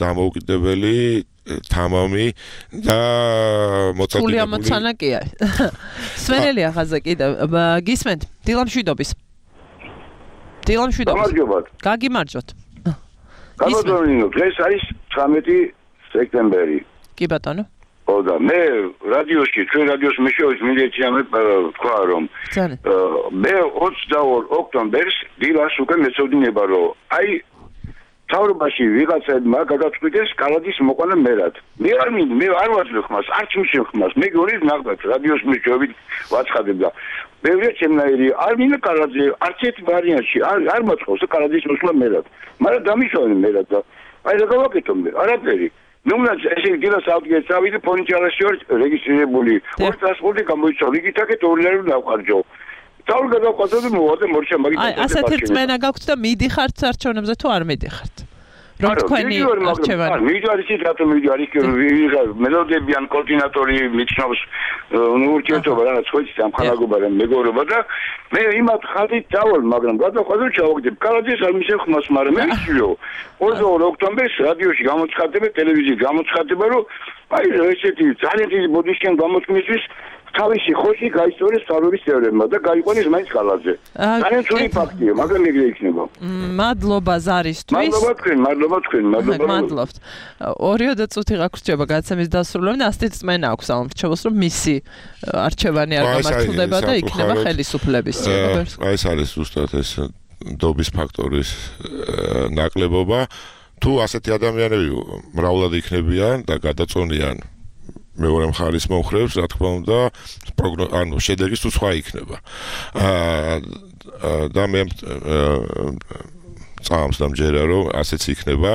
დამოუკიდებელი თამამი და მოწოდებული. სული ამოცანაკია. სვენელი ახაზე კიდევ გისმენთ დილამშვიდობის. გამარჯობათ. გაგიმარჯოთ. გამარჯობათ. დღეს არის 19 სექტემბერი. კი ბატონო. ო და მე რადიოში ჩვენ რადიოს მეშვეობით მინდეჩამე თქვა რომ მე 22 ოქტომბერს დილას უკვე მეწოდინება რომ აი თავრობაში ვიღაცებმა გადაწყვიტეს კალადის მოყვანა მერად. მე არ ვაძლევ ხმას, არც მიშენ ხმას. მე გონი ნახდათ რადიოს მეშვეობით ვაცხადებ და ბევრია ჩემნაირი არ მინდა კალადზე არც ერთ ვარიანტში არ მოწყობს კალადის მოსვლა მერად. მაგრამ დამიშოვენ მერად და აი რა გავაკეთო მე? არაფერი. ნუ უნდა ესე დილას ავდგეს ავიდე ფონიჩარაში ვარ რეგისტრირებული. ორი ტრანსპორტი გამოიწვია. იგით აქეთ ორი არ დავყარჯო. თავი გადავყავდა მოვადა მორჩა მაგით. აი ასეთი რწმენა გაქვთ და მიდიხართ არჩევნებზე თუ არ მიდიხართ? რომ თქვენი არჩევანი მიდარის ის რატომ მიდარის მელოდები ან კოორდინატორი მიჩნობს ურთიერთობა რაღაც ხოიცი სამხანაგობა და მეგობრობა და მე იმათ ხალით დავალ მაგრამ გადავყავდა ჩავაგდებ კალაძეს არ მისცემ ხმას მაგრამ მე ვიციო 22 ოქტომბერს რადიოში გამოცხადდება ტელევიზიაში გამოცხადდება რომ აი ესეთი ძალიან დიდი ბოდიშკენ გამოცხმისთვის თავისი ხოში გაისწორეს თავების წევრებმა და გაიყვანეს მაინც კალაძე. ძალიან ცუდი ფაქტია, მაგრამ ეგრე იქნება. მადლობა ზარისთვის. მადლობა თქვენ. მადლობთ. 2 წუთი გაგრჩება გადაცემის დასრულებამდე და ასეთი წმენა აქვს ამორჩეველს რომ მისი არჩევანი არ გამართულდება და იქნება ხელისუფლების. აი ეს არის ზუსტად ეს დობის ფაქტორის ნაკლებობა. თუ ასეთი ადამიანები მრავლად იქნებიან და გადაწონიან მეორე მხარის მომხრეებს, რა თქმა უნდა, ანუ შედეგი თუ სხვა იქნება. და მე წამს დამჯერა რომ ასეც იქნება.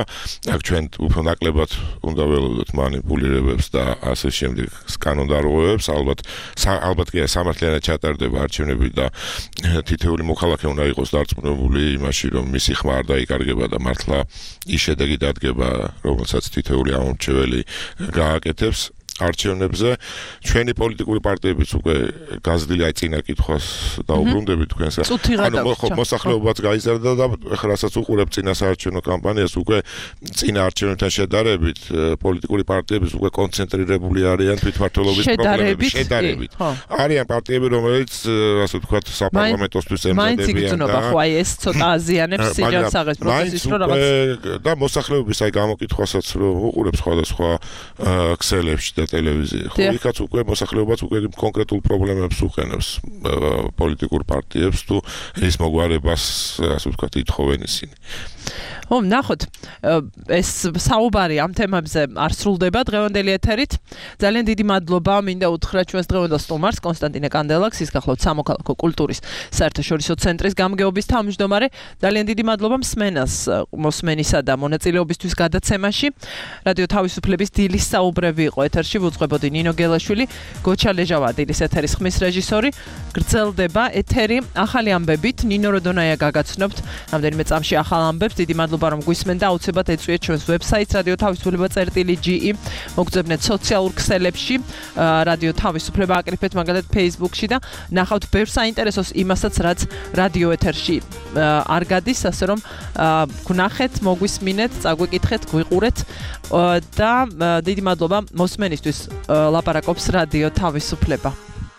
აქ ჩვენ უფრო ნაკლებად უნდა ველოდოთ манипуლირებებს და ასე შემდეგ კანონდარღვევებს. ალბათ კი სამართლიანად ჩატარდება არჩევნები და თითოეული მოქალაქე უნდა იყოს დარწმუნებული იმაში, რომ მისი ხმა არ დაიკარგება და მართლა ის შედეგი დადგება, რომელსაც თითოეული ამორჩეველი გააკეთებს. არჩევნებზე ჩვენი პოლიტიკური პარტიებიც უკვე გაზრდილი აი წინა კითხვას დაუბრუნდებით თქვენს ანუ მოსახლეობაც გაიზარდა და ეხლა რასაც უყურებ წინა საარჩევნო კამპანიას უკვე წინა არჩევნებთან შედარებით პოლიტიკური პარტიებიც უკვე კონცენტრირებული არიან თვითმმართველობის პრობლემების შედარებით არიან პარტიები რომელიც ასე ვთქვათ საპარლამენტოსთვის ემზადებიან მაინც იგრძნობა ხო აი ეს ცოტა აზიანებს სიჯანსაღეს პროცესის რო რაღაც და მოსახლეობის აი გამოკითხვასაც რო უყურებ სხვადასხვა ქსელებში და ტელევიზია. ხო, იქაც უკვე მოსახლეობაც უკვე კონკრეტულ პრობლემებს უყენებს პოლიტიკურ პარტიებს თუ ის მოგვარებას, ასე ვთქვათ, ითხოვენ ისინი. ნახოთ, ეს საუბარი ამ თემებზე არ სრულდება დღევანდელი ეთერით. ძალიან დიდი მადლობა მინდა უთხრა ჩვენს დღევანდელ სტუმარს კონსტანტინე კანდელაკს, ის გახლავთ სამოქალაქო კულტურის საერთაშორისო ცენტრის გამგეობის თავმჯდომარე. ძალიან დიდი მადლობა მოსმენისა და მონაწილეობისთვის გადაცემაში. რადიო თავისუფლების დილის საუბრები იყო ეთერში, ვუძღვებოდი ნინო გელაშვილი, გოჩა ლეჟავა დილის ეთერის ხმის რეჟისორი. გრძელდება ეთერი ახალი ამბებით, ნინო როდონაია გაგაცნობთ რამდენიმე წამში ახალ ამბებს. დიდი მადლობა რომ გვისმენ და აუცილებლად ეწვიეთ ჩვენს ვებსაიტს რადიო თავისუფლება.ge. მოგწებნეთ სოციალურ ქსელებში რადიო თავისუფლება აკრიფეთ მაგალითად Facebook-ში და ნახავთ ბევრ საინტერესოს იმასაც რაც რადიო ეთერში არ გადის, ასე რომ გვნახეთ, მოგვისმინეთ, წაგვიკითხეთ, გვიყურეთ და დიდი მადლობა მოსმენისთვის ლაპარაკობს რადიო თავისუფლება.